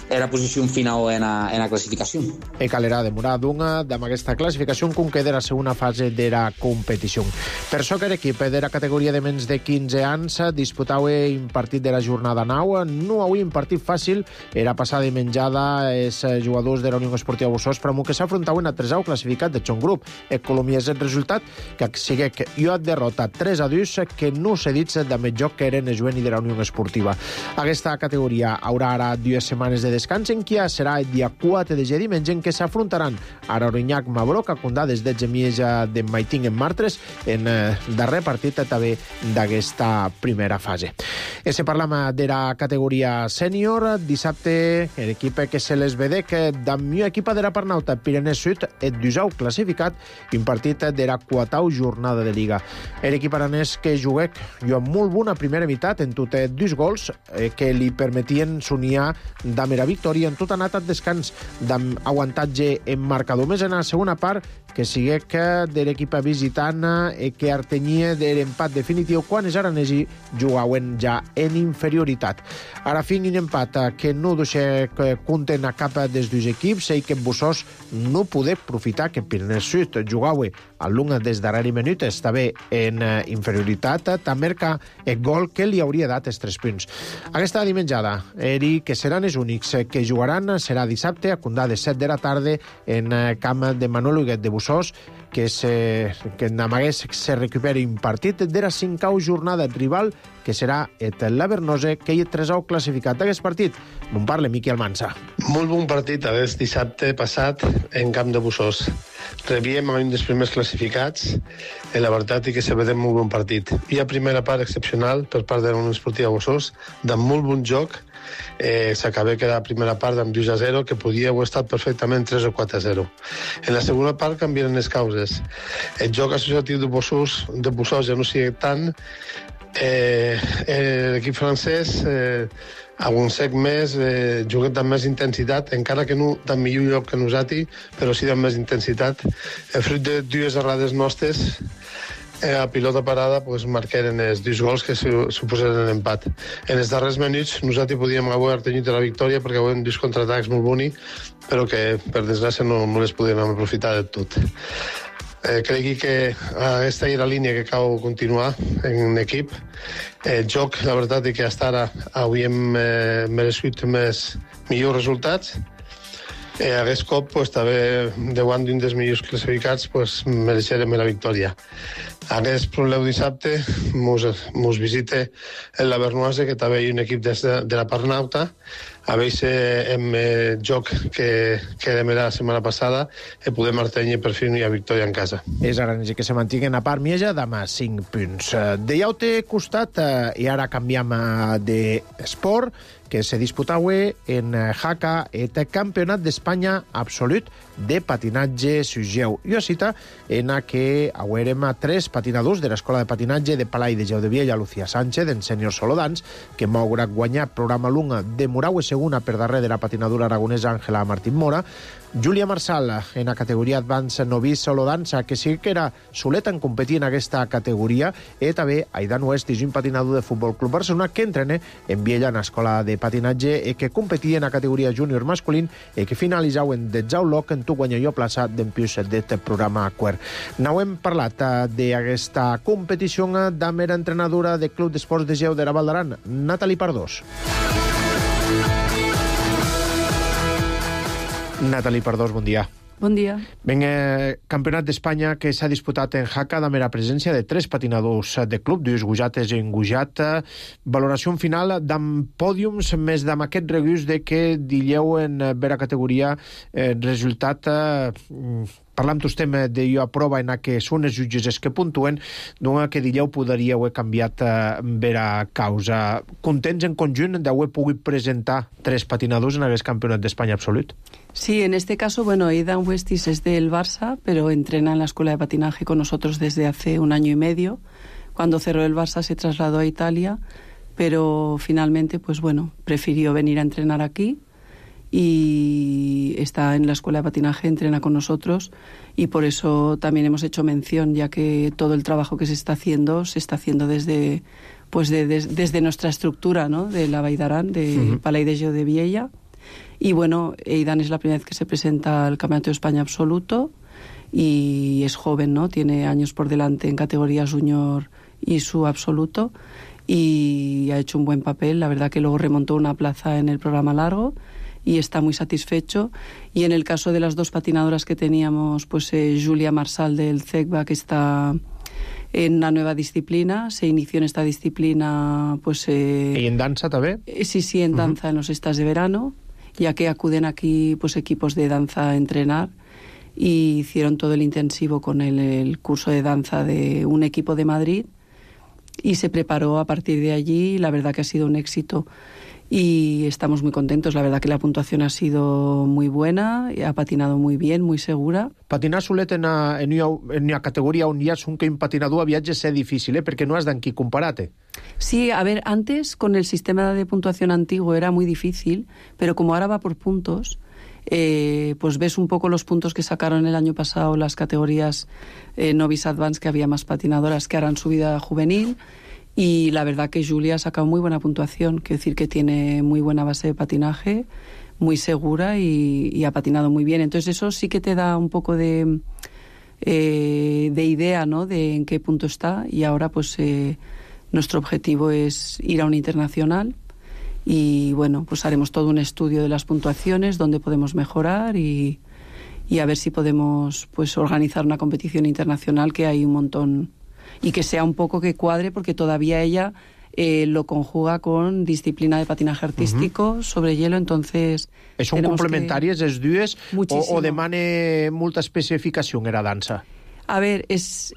era posició final en la, en la classificació. E calera demorar d'una amb aquesta classificació com queda la segona fase de la competició. Per això que l'equip de la categoria de menys de quinze anys disputava un partit de la jornada nou. No avui un partit fàcil, era passada i menjada els jugadors de la Unió Esportiva Bossós, però que s'afrontaven a tresau classificat de Chong Group. Economia és el resultat que sigue que jo et derrota tres a dos que no s'ha dit de més joc que eren el juvenil de la Unió Esportiva. Aquesta categoria haurà ara dues setmanes de descans en què serà el dia quatre de diumenge en què s'afrontaran a Arorinyac Mabroc a Condades de Gemieja de Maiting en Martres en eh, darrer partit també d'aquesta primera fase. E se parlam de la categoria sènior, dissabte l'equip que se les vede que d'amió equipa de la Parnauta Pirenès Sud et dusau classificat un partit de la quatau jornada de Liga. L'equip aranès que juguec jo amb molt bona primera meitat en tot dos gols eh, que li permetien s'unir d'Amera victòria en tot anat al descans d'amb aguantatge en marcador. Més en la segona part, que sigue que de l'equip visitant i que artenyia de l'empat definitiu quan els aranesi jugaven ja en inferioritat. Ara fin un empat que no deixa compten a cap dels dos equips i que Bossós no poder aprofitar que Pirineu Sud jugava a l'una des darrere minutes també en inferioritat, també que el gol que li hauria dat els tres punts. Aquesta dimenjada, eri que seran els únics que jugaran, serà dissabte a Condades set de la tarda en camp de Manuel Huguet de Bossós, que, se, que n'amagués se recuperi un partit de la cinquau jornada rival, que serà et l'Avernose, que hi ha tresau classificat d'aquest partit. M'on parla Miqui Almansa. Molt bon partit aquest dissabte passat en camp de Bossós. Rebíem a un dels primers classificats i la veritat és que se vede molt bon partit. Hi ha primera part excepcional per part de la Unió Esportiva Bossós, de molt bon joc. Eh, s'acaba que la primera part amb dos a zero, que podia haver estat perfectament tres o quatre a zero. En la segona part canvien les causes. El joc associatiu de Bossós, de Bossós ja no sigui tant. Eh, l'equip francès eh, aguancec més, eh, juguen amb més intensitat, encara que no tan millor lloc que nosaltres, però sí amb més intensitat. El fruit de dues errades nostres, eh, a pilota parada, pues, marqueren els dos gols que suposaren l'empat. En els darrers minuts nosaltres podíem haver tenit la victòria perquè havien dos contraatacs molt bonics, però que per desgràcia no, no les podíem aprofitar de tot. Eh, crec que aquesta era la línia que cal continuar en l'equip. El joc, la veritat és que fins ara havíem eh, merescut més millors resultats. Eh, aquest cop, pues, també, davant d'un dels millors classificats, pues, mereixerem la victòria. Aquest problema dissabte mos, mos visita el Lavernoise, que també hi ha un equip de, de la Parnauta, a veure amb el joc que, que vam la setmana passada i podem artenir per fi una victòria en casa. És aranesi que se mantinguen a part Mieja d'ama cinc punts. De ja ho té costat, i ara canviem d'esport, que se disputaue en Jaca et Campionat d'Espanya absolut de patinatge sugeu. Jo cita en a que auérem a tres patinadors de l'Escola de Patinatge de Palai de Jau de Viella, Lucía Sánchez, en sènior Solodans, que m'haurà guanyat programa lunga de Muraue segona per darrere de la patinadora aragonesa Àngela Martín Mora, Júlia Marsal en la categoria Advance Novice Solodansa, que sí que era soleta en competir en aquesta categoria, i també Aidan West, un patinador de Futbol Club Barcelona que entrena en Viella en l'escola de patinatge i que competia en la categoria júnior masculín i que finalitzau en detzau loc en tu guanya jo plaça d'empius d'aquest programa quer. N'au hem parlat d'aquesta competició amb la entrenadora del Club d'Esports de Geu de la Val d'Aran, Nathalie Pardós. Nathalie Pardós, bon dia. Bon dia. Ben, eh, Campionat d'Espanya que s'ha disputat en Jaca amb la presència de tres patinadors de club, dues gujates en gujat. Valoració final d'amb pòdiums, més d'amb aquest regús de que dilleu en vera categoria eh, resultat... Eh, parlam tostem de jo a prova en què són els jutges que puntuen, doncs que dilleu podríeu haver canviat eh, vera causa. Contents en conjunt d'haver pogut presentar tres patinadors en aquest campionat d'Espanya absolut? Sí, en este caso, bueno, Aidan Westis es del Barça, pero entrena en la escuela de patinaje con nosotros desde hace un año y medio. Cuando cerró el Barça se trasladó a Italia, pero finalmente, pues bueno, prefirió venir a entrenar aquí y está en la escuela de patinaje, entrena con nosotros y por eso también hemos hecho mención, ya que todo el trabajo que se está haciendo se está haciendo desde pues de, de, desde nuestra estructura, ¿no?, de la Vall d'Aran, de uh-huh. Palai de Jau de Viella. Y bueno, Aidan es la primera vez que se presenta al Campeonato de España absoluto y es joven, ¿no? Tiene años por delante en categorías junior y su absoluto y ha hecho un buen papel. La verdad que luego remontó una plaza en el programa largo y está muy satisfecho. Y en el caso de las dos patinadoras que teníamos, pues eh, Júlia Marsal del C E C B A, que está en una nueva disciplina, se inició en esta disciplina, pues... Eh, ¿Y en danza también? Eh, sí, sí, en danza, uh-huh. en los estas de verano, ya que acuden aquí pues equipos de danza a entrenar y hicieron todo el intensivo con el, el curso de danza de un equipo de Madrid y se preparó a partir de allí. La verdad que ha sido un éxito y estamos muy contentos. La verdad que la puntuación ha sido muy buena, ha patinado muy bien, muy segura. Patinar solet en una, en una, en una categoria on hi ha un que un patinador a viatge és difícil, eh? Perquè no has d'en qui comparar-te. Sí, a ver, antes con el sistema de puntuación antiguo era muy difícil, pero como ahora va por puntos, eh, pues ves un poco los puntos que sacaron el año pasado las categorías eh, Novice Advance, que había más patinadoras que ahora han subido a juvenil. Y la verdad que Júlia ha sacado muy buena puntuación, quiero decir que tiene muy buena base de patinaje, muy segura y, y ha patinado muy bien. Entonces eso sí que te da un poco de, eh, de idea, ¿no?, de en qué punto está. Y ahora pues eh, nuestro objetivo es ir a un internacional y bueno, pues haremos todo un estudio de las puntuaciones, dónde podemos mejorar y, y a ver si podemos pues organizar una competición internacional, que hay un montón, y que sea un poco que cuadre, porque todavía ella eh, lo conjuga con disciplina de patinaje artístico uh-huh. sobre hielo, entonces... ¿Son complementàries les dues o, o demane molta especificació en la dansa? A ver, es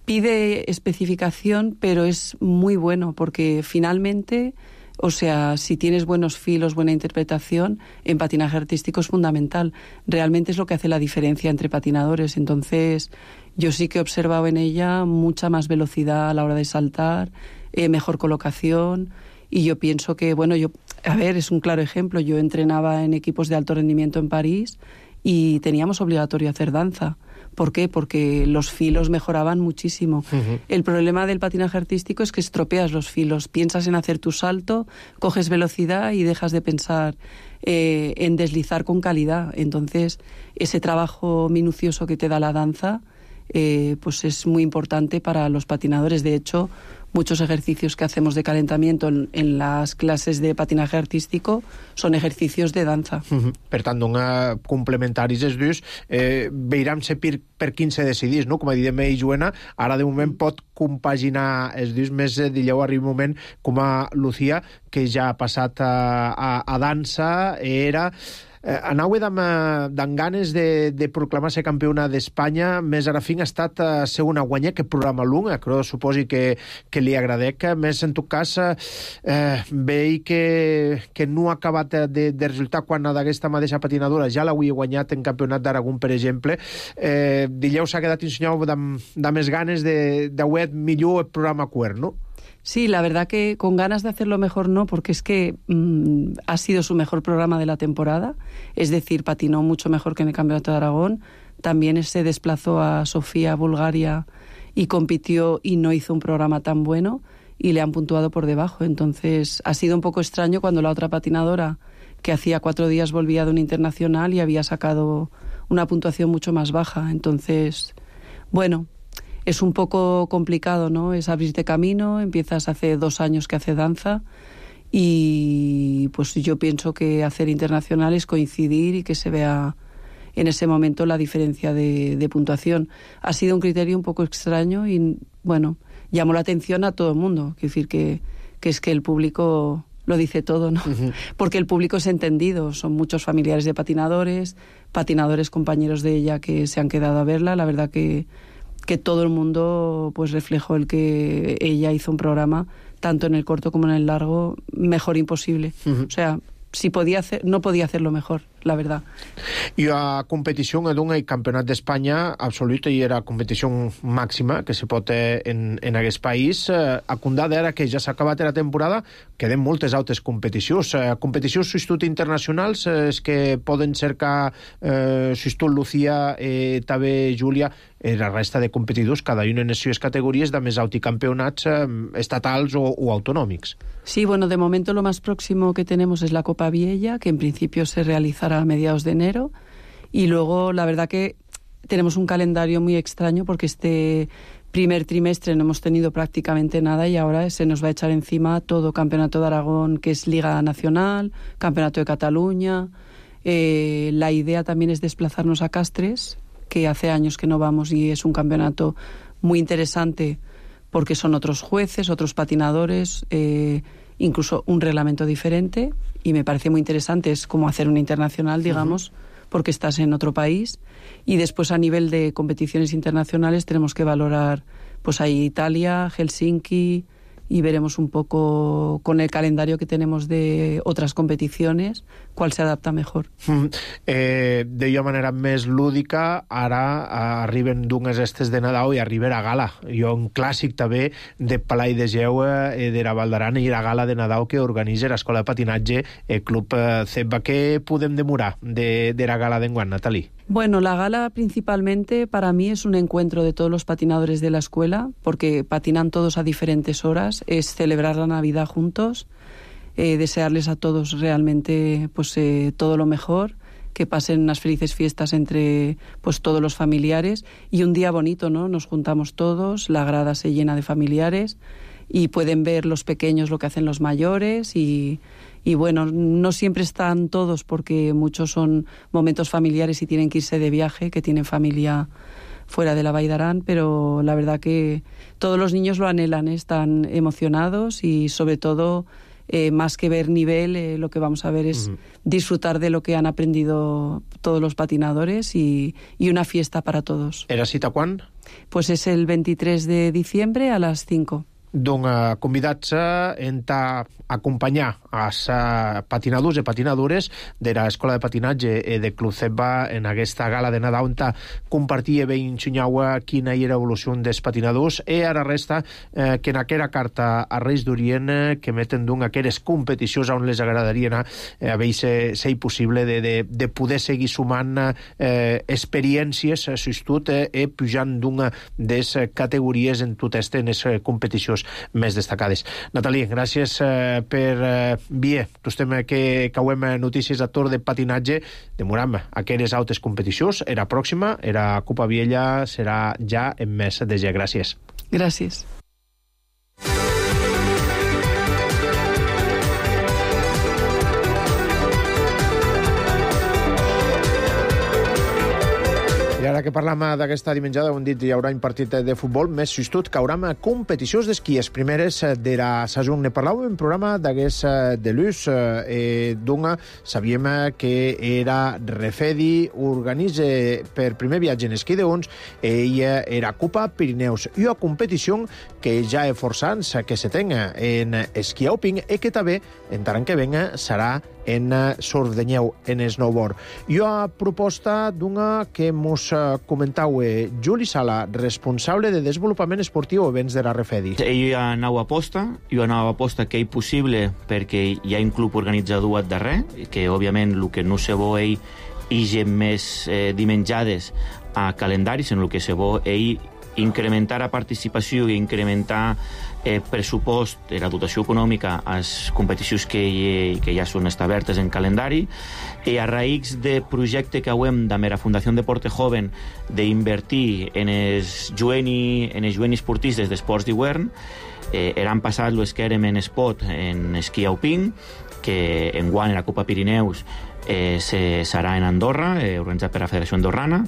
pide especificación, pero es muy bueno, porque finalmente... O sea, si tienes buenos filos, buena interpretación, en patinaje artístico es fundamental. Realmente es lo que hace la diferencia entre patinadores. Entonces, yo sí que he observado en ella mucha más velocidad a la hora de saltar, eh, mejor colocación, y yo pienso que, bueno, yo, a ver, es un claro ejemplo. Yo entrenaba en equipos de alto rendimiento en París y teníamos obligatorio hacer danza. ¿Por qué? Porque los filos mejoraban muchísimo. Uh-huh. El problema del patinaje artístico es que estropeas los filos. Piensas en hacer tu salto, coges velocidad y dejas de pensar eh, en deslizar con calidad. Entonces, ese trabajo minucioso que te da la danza eh, pues es muy importante para los patinadores. De hecho, muchos ejercicios que hacemos de calentamiento en, en las clases de patinaje artístico son ejercicios de danza. Uh-huh. Per tant, doncs, complementaris els dos, eh, veiram se per, per quin se decidís, no? Com a dit ell, Joana, ara de moment pot compaginar els dos, més eh, dilleu arriba un moment com a Lucía, que ja ha passat a, a, a dansa, era... Eh, anau amb ganes de, de proclamar-se campiona d'Espanya, més ara fin ha estat eh, segona guanyar, que programa lunga, però suposi que, que li agradec, més en tot cas eh, veig que, que no ha acabat de, de resultar quan d'aquesta mateixa patinadora ja l'havia guanyat en campionat d'Aragó, per exemple. Eh, Dileu s'ha quedat ensenyat de més ganes de, de haver millor el programa quer, no? Sí, la verdad que con ganas de hacerlo mejor no, porque es que mmm, ha sido su mejor programa de la temporada, es decir, patinó mucho mejor que en el Campeonato de Aragón, también se desplazó a Sofía, Bulgaria, y compitió y no hizo un programa tan bueno, y le han puntuado por debajo, entonces ha sido un poco extraño cuando la otra patinadora, que hacía cuatro días volvía de un internacional y había sacado una puntuación mucho más baja, entonces, bueno... Es un poco complicado, ¿no? Es abrirte camino, empiezas hace dos años que hace danza y pues yo pienso que hacer internacional es coincidir y que se vea en ese momento la diferencia de, de puntuación. Ha sido un criterio un poco extraño y, bueno, llamó la atención a todo el mundo. Quiero decir que, que es que el público lo dice todo, ¿no? Uh-huh. Porque el público es entendido, son muchos familiares de patinadores, patinadores compañeros de ella que se han quedado a verla, la verdad que... que todo el mundo pues reflejó el que ella hizo un programa tanto en el corto como en el largo mejor imposible. Uh-huh. O sea, si podía hacer, no podía hacerlo mejor, la verdad. I a competició d'un campionat d'Espanya absoluta i era competició màxima que se pot en, en aquest país. A Condada, ara que ja s'ha acabat la temporada, queden moltes altres competicions. Competicions substitut internacionals és que poden cercar eh, substitut Lucía, eh, també Júlia, eh, la resta de competidors, cada un en les seves categories de més alt i campionats eh, estatals o, o autonòmics. Sí, bueno, de momento lo más próximo que tenemos es la Copa Viella, que en principio se realizará a mediados de enero, y luego la verdad que tenemos un calendario muy extraño porque este primer trimestre no hemos tenido prácticamente nada y ahora se nos va a echar encima todo Campeonato de Aragón, que es Liga Nacional, Campeonato de Cataluña. Eh, la idea también es desplazarnos a Castres, que hace años que no vamos y es un campeonato muy interesante porque son otros jueces, otros patinadores, eh, incluso un reglamento diferente, y me parece muy interesante, es como hacer un internacional, digamos, uh-huh. porque estás en otro país. Y después a nivel de competiciones internacionales tenemos que valorar, pues ahí Italia, Helsinki, y veremos un poco con el calendario que tenemos de otras competiciones cuál se adapta mejor. Mm. Eh, de manera més lúdica, ara arriben d'unes estes de Nadal i arriba a gala. Jo un clàssic també de Palai de Geu eh, de la Val d'Aran i la gala de Nadal que organitza l'Escola de Patinatge el Club eh, Ceba. Què podem demorar de, de la gala d'enguany, Nathalie? Bueno, la gala principalmente para mí es un encuentro de todos los patinadores de la escuela, porque patinan todos a diferentes horas, es celebrar la Navidad juntos, eh, desearles a todos realmente pues eh, todo lo mejor, que pasen unas felices fiestas entre pues todos los familiares y un día bonito, ¿no? Nos juntamos todos, la grada se llena de familiares y pueden ver los pequeños lo que hacen los mayores y... Y bueno, no siempre están todos porque muchos son momentos familiares y tienen que irse de viaje, que tienen familia fuera de la Vall d'Aran, pero la verdad que todos los niños lo anhelan, ¿eh? Están emocionados y sobre todo, eh, más que ver nivel, eh, lo que vamos a ver es uh-huh. disfrutar de lo que han aprendido todos los patinadores y, y una fiesta para todos. ¿Era cita quan? Pues es el veintitrés de diciembre a las cinco. Doncs convidats a acompanyar els patinadors i patinadores de l'Escola de Patinatge de Club Ceba en aquesta gala de Nadal on compartia bé ensenyau quina era l'evolució dels patinadors i a la resta eh, que en aquella carta a Reis d'Orient eh, que meten d'un aquelles competicions on les agradaria anar eh, a veure si és possible de, de, de poder seguir sumant eh, experiències substitut eh, i pujant d'una de les categories en totes les competicions més destacades. Nathalie, gràcies eh, per eh, vie. Tostem que cauem notícies a Tor de patinatge. Demoram aquelles altres competicions. Era pròxima, era Copa Viella, serà ja en mes de gener. Gràcies. Gràcies. I ara que parlam d'aquesta dimenjada, ho hem dit, hi haurà un partit de futbol, més justut que haurà competicions d'esquí. Les primeres de la saison. Ne parlàvem en programa d'aquest de l'U S. Eh, D'una, sabíem que era Refedi, organitza per primer viatge en esquí d'uns, ella era Copa Pirineus, i una competició que ja és forçant que se tenga en esquí alpin i que també, en tant que venga, serà en surf de neu, en snowboard. I una proposta d'una que mos comentau Juli Sala, responsable de desenvolupament esportiu i events de la Refedi. Ell hi ha nova aposta, hi ha nova aposta que és possible perquè hi ha un club organitzador al darrer, que òbviament el que no se vol ell ix més eh, dimenjades a calendaris, en el que se vol ell incrementar la participació i incrementar eh, pressupost, eh, la dotació econòmica a les competicions que, hi, que ja són establertes en calendari, i a raïs de projecte que hauem de la Fundació Deporte Joven d'invertir en els jueni, en els jueni esportistes d'esports d'hivern. Eh, eran passat los que érem en espot en esquí alpin, que en guany la Copa Pirineus eh, se, serà en Andorra, eh, organitzat per la Federació Andorrana.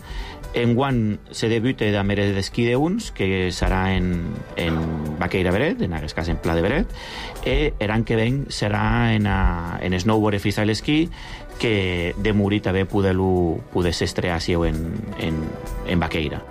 En guany se debuta de mera d'esquí d'uns, que serà en, en Baqueira Beret, en aquest cas en Pla de Beret, i l'any que ven serà en, a, en snowboard i freestyle esquí, que de morir també poder-lo poder s'estrear en, en, en Baqueira.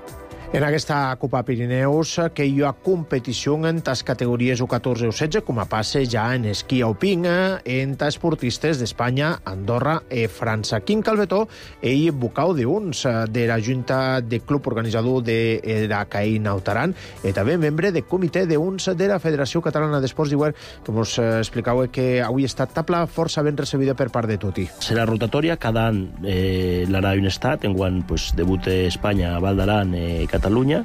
En aquesta Copa Pirineus, que hi ha competició en les categories U catorze o setze, com a passe ja en esquí alpin, entre esportistes d'Espanya, Andorra i França. Quim Calvetó, ell vocau d'uns de la Junta de Club Organitzador de la C A I Nautaran, i també membre de comitè d'uns de la Federació Catalana d'Esports d'Hivern, que ens explicau que avui ha estat tabla força ben recebida per part de tutti. Serà rotatòria, cada any eh, l'anà un estat, enguany pues, debuta Espanya, Val d'Aran i eh, Catalunya,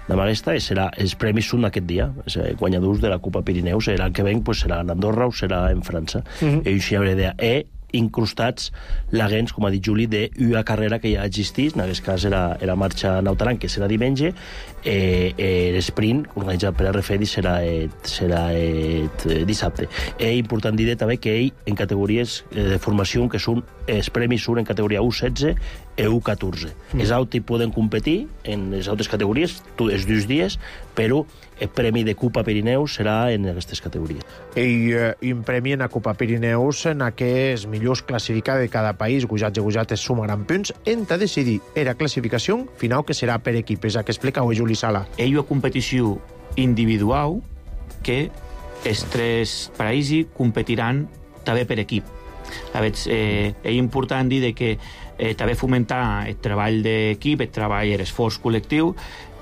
de Malesta, i serà, els premis són aquest dia, els guanyadors de la Copa Pirineus, serà el que venc, pues, serà en Andorra o serà en França. Mm-hmm. I això hi haurà idea. E incrustats l'agents, com ha dit Juli, d'una carrera que ja existís, en aquest cas era, era Marxa Nautaran, que serà diumenge, eh, eh, l'esprint, organitzat per R F E D I, serà, eh, serà eh, dissabte. És important dir també que ell, en categories eh, de formació, que són, els premis són en categoria U setze i U catorze. Mm. Els altres poden competir en les altres categories, els dos dies, però el premi de Copa Pirineus serà en aquestes categories. I eh, un premi en la Copa Pirineus en què els millors classificats de cada país, gujats i gujates, sumaran punts, en de decidir era classificació final que serà per equipes, a que explica avui Juli Sala. Hi ha una competició individual que els tres països competiran també per equip. A veure, eh, és important dir que eh, també fomentar el treball d'equip, el treball i l'esforç col·lectiu,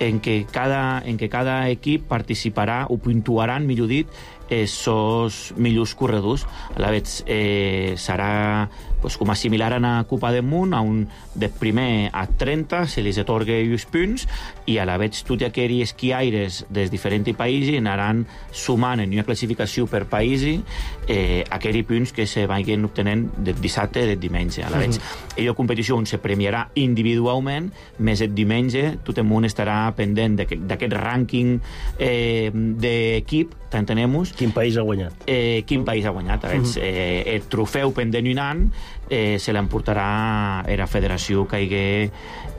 en què cada, en què cada equip participarà o puntuaran, millor dit, els seus millors corredors. A la vegada eh, serà pues, com a similar a la Copa del Món, a un de primer a trenta se li atorga els punts, i a la vegada tots aquells esquiaires dels diferents països anaran sumant en una classificació per país eh, aquells punts que se vagin obtenent del dissabte i del diumenge. A la vegada, mm-hmm. la competició on se premiarà individualment, més el diumenge tot el món estarà pendent d'aquest rànquing eh, d'equip, t'entenem-nos. Quin país ha guanyat? Eh, quin país ha guanyat. Mm-hmm. eh, el trofeu pendent un any eh, se l'emportarà a la federació que hagi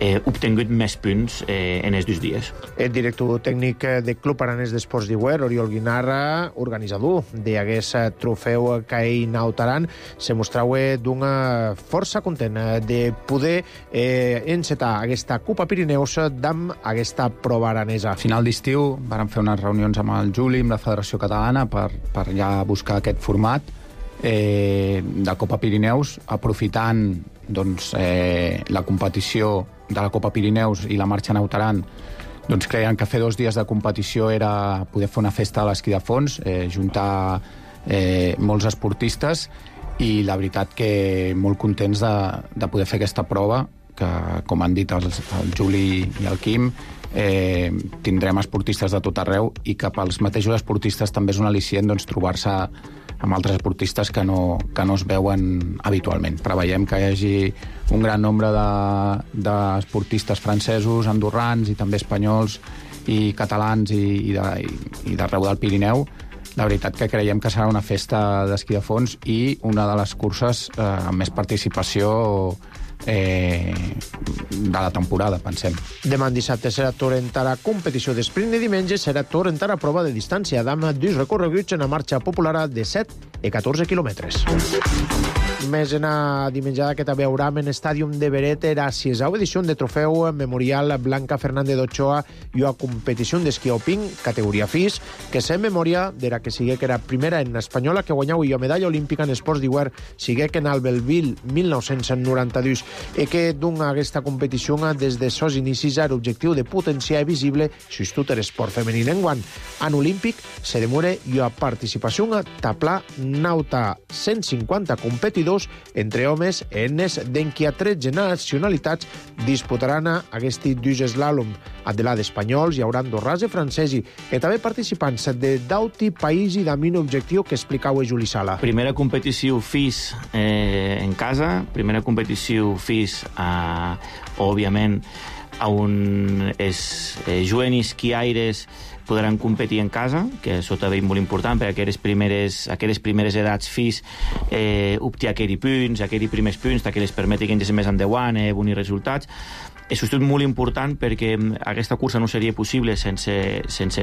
eh, obtingut més punts eh, en els dos dies. El director tècnic del Club Aranès d'Esports d'Hivern, Oriol Guinarra, organitzador d'aquest trofeu que hi Nautaran, se mostrava d'una força content de poder eh, encetar aquesta Copa Pirineus amb aquesta prova aranesa. A final d'estiu vam fer unes reunions amb el Juli, amb la Federació Catalana, per, per ja buscar aquest format eh, de Copa Pirineus, aprofitant doncs, eh, la competició de la Copa Pirineus i la Marxa Nautaran. Doncs creien que fer dos dies de competició era poder fer una festa a l'esquí de fons, eh, juntar eh, molts esportistes, i la veritat que molt contents de, de poder fer aquesta prova, que com han dit els, el Juli i el Quim, eh, tindrem esportistes de tot arreu, i que pels mateixos esportistes també és un al·licient doncs, trobar-se amb altres esportistes que no, que no es veuen habitualment. Preveiem que hi hagi un gran nombre d'esportistes de, francesos, andorrans i també espanyols i catalans i, i, de, i d'arreu del Pirineu. La veritat que creiem que serà una festa d'esquí de fons i una de les curses eh, amb més participació eh, de la temporada, pensem. Demà dissabte serà torrentara competició d'esprint i diumenge serà torrentara prova de distància d'ama dos recorreguts en la marxa popular de set i catorze quilòmetres. Més en a dimenjada que també haurà en Estàdium de Beret era sisau edició de trofeu memorial Blanca Fernández d'Ochoa i a competició d'esquí alpin categoria F I S, que se memòria d'era que sigue que era primera en espanyola que guanyau i a medalla olímpica en esports d'hivern sigue que en el Belville mil nou-cents noranta-dos i que d'un aquesta competició des de sos inicis era objectiu de potenciar visible s'estut esport femení en guant. En olímpic se demora i a participació a taplà nauta cent cinquanta competidors entre homes enes d'enqui a tretze nacionalitats disputaran aquests dos slalom. A de la d'espanyols hi haurà andorrans i francesi i també participants de dauti país i d'amin objectiu que explicau a Juli Sala. Primera competició F I S eh, en casa, primera competició F I S eh, òbviament on els eh, jovenis esquiaires podran competir en casa, que això també és molt important, perquè aquelles primeres, aquelles primeres edats F I S eh, obté aquells punts, aquells primers punts que les permeten que més endavant eh, bons resultats. Això és molt important perquè aquesta cursa no seria possible sense, sense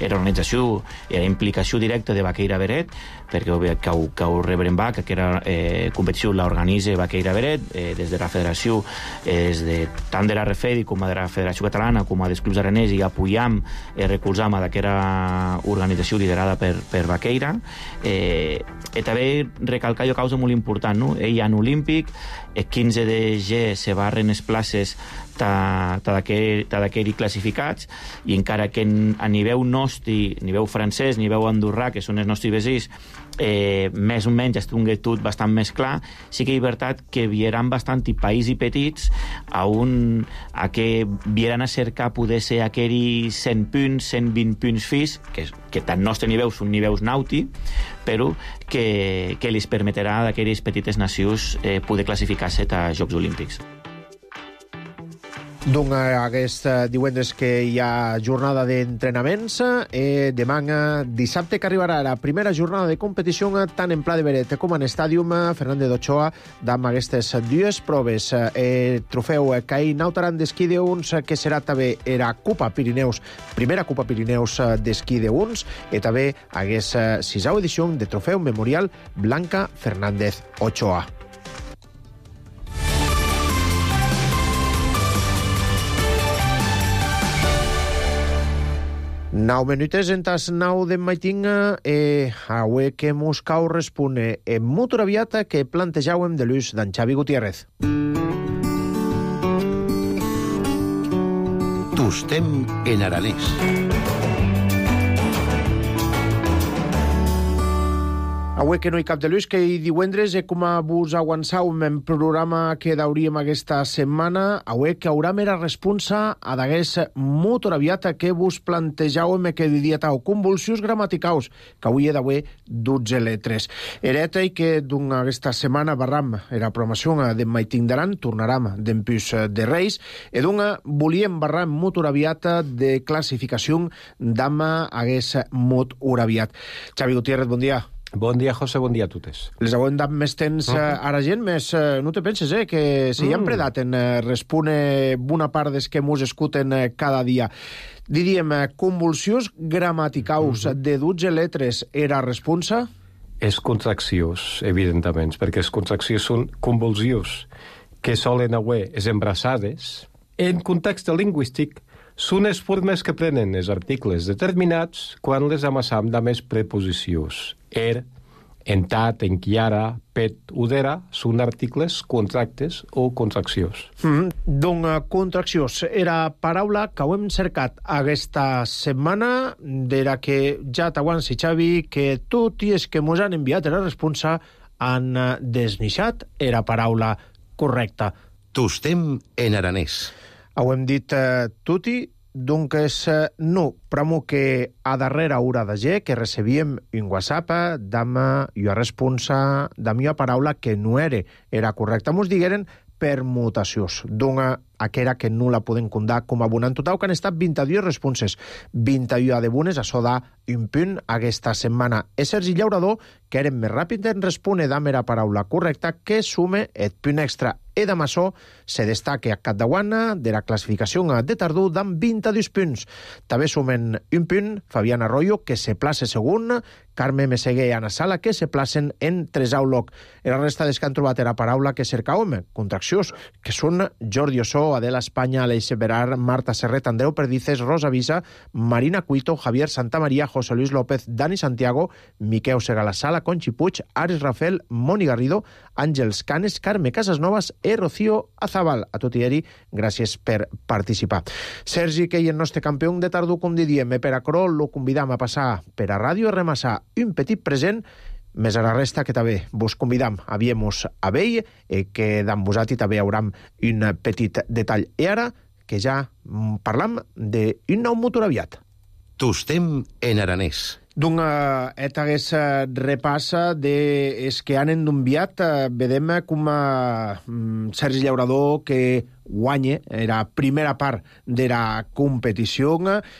l'organització i la implicació directa de Vaqueira Beret, perquè que ho, que ho rebrem va, que aquesta eh, competició l'organitza Vaqueira Beret, eh, des de la federació, eh, des de, tant de la Refedi com de la Federació Catalana com dels clubs aranès, i apoyam i eh, recolzam aquesta organització liderada per, per Vaqueira. Eh, i també recalcar jo causa molt important, no? Ell en olímpic, el quinze de gener se barren les places d'aquells classificats, i encara que a nivell nostre, a nivell francès, a nivell andorrà, que són els nostres veïns, eh, més o menys estigui tot bastant més clar, sí que és veritat que vieran bastant i països petits a, un, a que vieran a cercar poder ser aquells cent punts, cent vint punts F I S, que, que tant nostre nivell són nivells nauti, però que, que els permetrà a aquelles petites nacions eh, poder classificar-se a Jocs Olímpics. Doncs aquest divendres que hi ha jornada d'entrenaments, eh, demà dissabte que arribarà la primera jornada de competició tant en Pla de Beret com en Estàdium Fernández d'Ochoa amb aquestes dues proves. Eh, trofeu Caí Nautaran d'esquí de uns, que serà també era Copa Pirineus, primera Copa Pirineus d'esquí de uns, i també aquesta sisau edició de trofeu memorial Blanca Fernández Ochoa. Nou minutes en tas nou de maitinga, eh, avui que mos cau respone en molt aviat que plantejàvem de l'ús d'en Xavi Gutiérrez. Tostem en aranès. Avui que no hi cap de l'ús, que hi divendres, eh, com a vos avançàvem en programa que dauríem aquesta setmana, avui que haurà mera responsa a d'aguest molt aviat que vos plantejàvem que diria tau convulsions gramaticaus, que avui he d'avui dotze letres. Ereta i que d'una aquesta setmana barram era programació de Maiting d'Aran, tornaram d'empús de Reis, i d'una volíem barram molt aviat de classificació d'ama aguest molt aviat. Xavi Gutiérrez, bon dia. Bon dia, José, bon dia a totes. Les hauem dat més temps uh -huh. a la gent, més uh, no te penses, eh, que si mm. hi han predat en uh, respone bona part des que mos escuten uh, cada dia. Diríem, uh, convulsions gramaticaus uh -huh. de dotze letres era responsa? És contraccions, evidentment, perquè les contraccions són convulsions que solen haver les embrassades. En context lingüístic, són les formes que prenen els articles determinats quan les amassam de més preposicions. Er, entat, enquiara, pet, udera, són articles contractes o contraccions. Mm, doncs contraccions era paraula que ho hem cercat aquesta setmana, d'era que ja t'aguanci, Xavi, que tot i és que mos han enviat la responsa han desnixat era paraula correcta. Tostem en aranès. Ho hem dit eh, tutti, donc és eh, no, però que a darrere haurà de gent que recebíem un WhatsApp d'ama i a responsa d'ama i a paraula que no era, era correcta. Mos digueren permutacions. Donc aquera que no la poden condar com a bona. En total que han estat vint-i-dues responses, vint-i-u de bones, això da un punt aquesta setmana. És Sergi Llaurador, que eren més ràpid en respondre damb era paraula correcta, que sume el punt extra. Eda Massó se destaca a Catdaguana de la classificació de tardor amb vint-i-dos punts. També sumen un punt Fabián Arroyo, que se place segon, Carme Meseguer i Ana Sala, que se placen en tresau lloc. I la resta des que han trobat era paraula que cercàvem, contraccions, que són Jordi Ossó, Adela Espanya, Aleix Berar, Marta Serret, Andreu Perdices, Rosa Visa, Marina Cuito, Javier Santamaría, José Luis López, Dani Santiago, Miqueu Segalasala, Conchi Puig, Ares Rafael, Moni Garrido, Àngels Canes, Carme Casasnovas i Rocío Azabal. A tot i eri, gràcies per participar. Sergi, que hi el nostre campió de tardor, com diem, per a Crol, lo convidam a passar per a Ràdio Remassar un petit present, més a la resta que també vos convidam a viemos a vell, eh, que d'en vosati també hauram un petit detall. I ara, que ja parlam d'un nou motor aviat. Tostem en aranès. D'un et hagués repassa des que han enviat, vedem com a Sergi Llaurador que guanya era primera part de la competició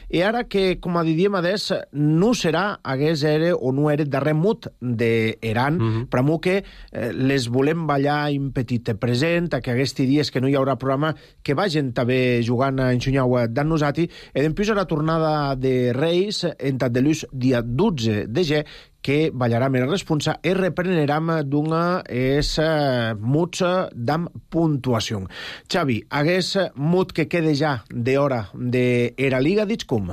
i ara que, com a diem adés, no serà, hagués era o no era darrer mut d'Eran, mm -hmm. però que eh, les volem ballar un petit present, que aquests dies que no hi haurà programa, que vagin també jugant en Xunyau d'en nosati, i després a la tornada de Reis, en tant de l'ús dia dotze de ge, que ballarà més responsa i repreneram d'una és uh, muts d'am puntuació. Xavi, hagués mut que quede ja d'hora de era liga, dits com?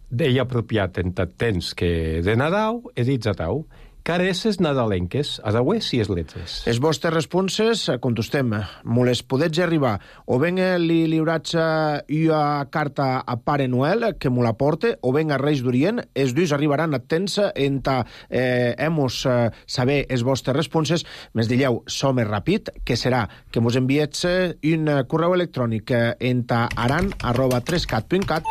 Deia apropiat en tant temps que de Nadal he dits a tau. Careces nadalenques, a dauer si es letres. Les vostres responses, contestem, me les podets arribar. O ben li liurats una carta a Pare Noel, que me la porte, o ben a Reis d'Orient, els dos arribaran a temps en ta eh, hemos eh, saber les vostres responses. Més dilleu, som ràpid, que serà que mos enviets un correu electrònic en ta aran arroba trescat punt cat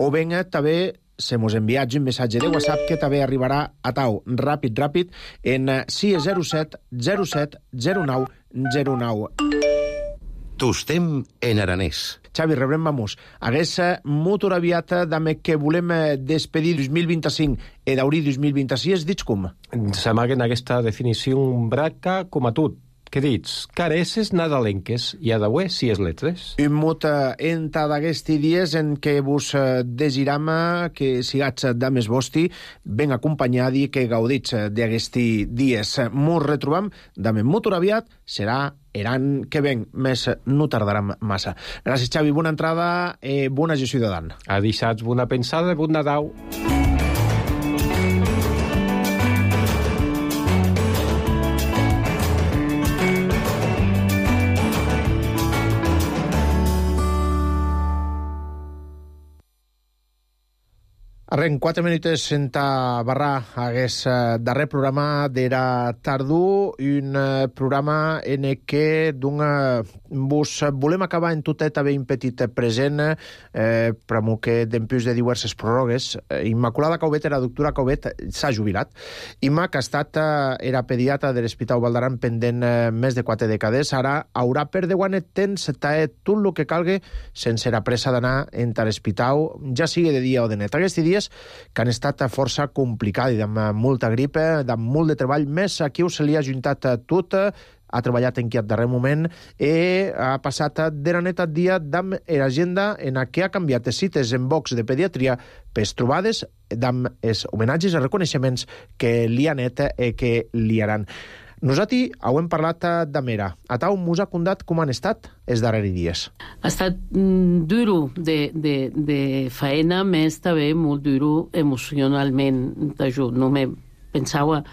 o ben també se mos enviats un missatge de WhatsApp que també arribarà a tau ràpid, ràpid, en sis zero set zero set zero nou zero nou. Tostem en aranès. Xavi, rebrem, vamos. Hagués motor aviat d'ame que volem despedir dos mil vint-i-cinc i d'aurir dos mil vint-i-sis, dits com? S'amaguen aquesta definició braca com a tot. Què dits? Careces nadalenques i a dauer si es letres. Un mot en d'aquests dies en què vos desiram que sigats dames vosti ben acompanyadi que gaudits d'aquests dies. Mos retrobam dame motor aviat, serà Eran que ven, més no tardaran massa. Gràcies, Xavi, bona entrada, eh, bona gestió de Dan. A dissabte, bona pensada, bon Nadal. Arrenc quatre minuts en ta barra hagués uh, darrer programa d'era tardor, un uh, programa en què d'una vos volem acabar en totet haver un petit present eh, però que d'empús de diverses pròrrogues. Eh, Immaculada Cauvet, era doctora Cauvet, s'ha jubilat. Imma, que ha estat uh, era pediatra de l'Hospital Valdaran pendent uh, més de quatre dècades, ara haurà per de guanet temps taet tot el que calgue sense la pressa d'anar en l'hospital, ja sigui de dia o de net. Aquests dies que han estat força complicats, amb molta grip, amb molt de treball, més aquí se li ha juntat tot, ha treballat en aquest darrer moment i ha passat de la neta dia d'amb l'agenda en què ha canviat les cites en box de pediatria per trobades d'amb els homenatges i reconeixements que li han net i que li haran. Nosaltres hem parlat de Mera. A tau mos ha contat com han estat els darrers dies. Ha estat mm, duro de, de, de faena, més també molt duro emocionalment d'ajut. No me pensava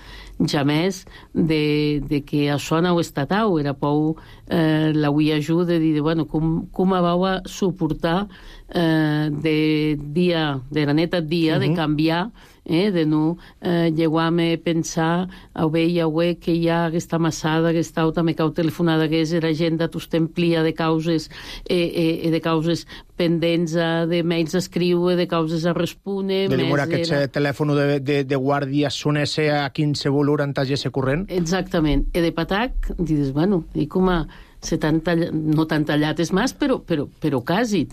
jamés de, de que això no ho estat au. Era pou eh, l'avui ajuda de dir, bueno, com, com vau a suportar eh, de dia, de la neta dia, uh-huh. de canviar, eh, de no eh, llegar-me a pensar a bé i a bé que hi ha aquesta massada, aquesta auta, me cau telefonada que és l'agenda t'ustemplia de causes eh, eh, de causes pendents de mails a escriure, de causes a respondre. De demora que era... el telèfon de, de, de guàrdia sonese a quinze volur antagesse corrent. Exactament. I de patac, dius, bueno, i com a se tan tallat, no tan tallat és més, però, però, però quasi.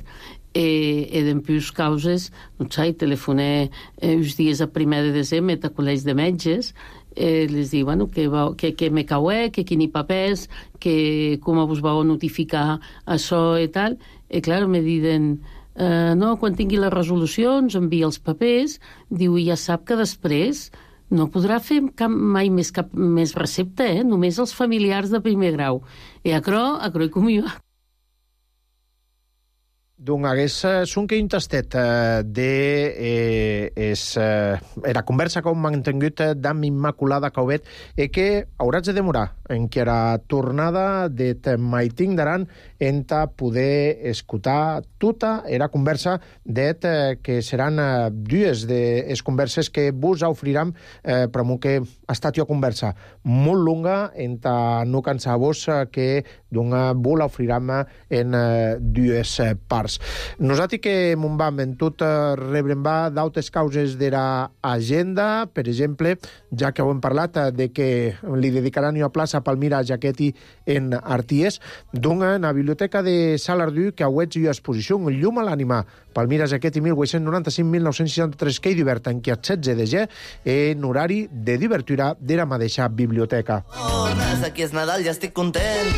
E, e dempús causes, no sé, telefoné eh, uns dies a primer de desembre a col·legi de metges, eh, les diu, bueno, que, va, que, que me caué, que quini papers, que com vos vau notificar això i tal, i clar, me diuen, eh, no, quan tingui les resolucions, envia els papers, diu, i ja sap que després no podrà fer cap, mai més cap més recepta, eh? Només els familiars de primer grau. I acrò, acrò i com jo. Doncs hagués un que un tastet eh, de eh, es, eh, era conversa que hem mantingut d'Am Immaculada Cauvet e que hauràs de demorar en que era tornada de Maiting d'Aran en ta poder escutar tota era conversa det eh, que seran eh, dues de es converses que vos ofriram eh, per mo que ha estat jo conversa molt longa en ta no cansar-vos eh, que d'una vos l'ofriram en eh, dues eh, parts. Nosaltres que m'on vam en tot eh, rebrem va d'altres causes de la agenda, per exemple, ja que ho hem parlat eh, de que li dedicaran una plaça a Palmira Jaquetti en Arties, doncs en la biblioteca de Salardú que auets una exposició, un llum a l'ànima, Palmira Jaquetti mil vuit-cents noranta-cinc mil nou-cents seixanta-tres, que hi diverta en qui el setze de ge en horari de divertura de la mateixa biblioteca. Oh, aquí és Nadal, ja estic content.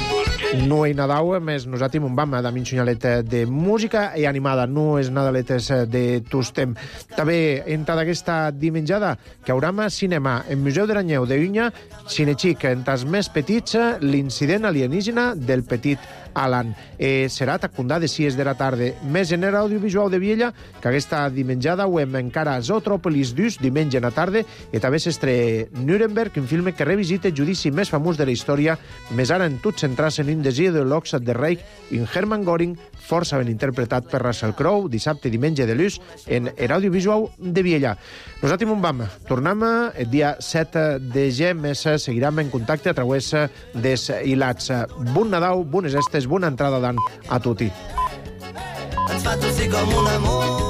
No hi Nadal, més nosaltres m'on vam de minxonyalet de música i animada, no és Nadaletes de tostem. També entra d'aquesta dimenjada que hauram cinema en Museu d'Aranyeu de Unya, Cinexic, entre els més petits, l'incident alienígena del petit Alan. Eh, serà tacundà de sis de la tarda. Més en era audiovisual de Viella, que aquesta dimenjada ho hem encara a Zootropolis dus, diumenge a la tarda, i també s'estre Nuremberg, un film que revisita el judici més famós de la història, més ara en tot centrar-se en un desig de l'Ox de Reich, en Hermann Göring, força ben interpretat per Russell Crowe, dissabte i diumenge de l'ús, en era audiovisual de Viella. Nosaltres m'on vam. Tornem el dia set de ge, més seguirem en contacte a través des hilats. Bon Nadal, bones estes, bona entrada d'any a tutti. Ens fa tossir com un amor.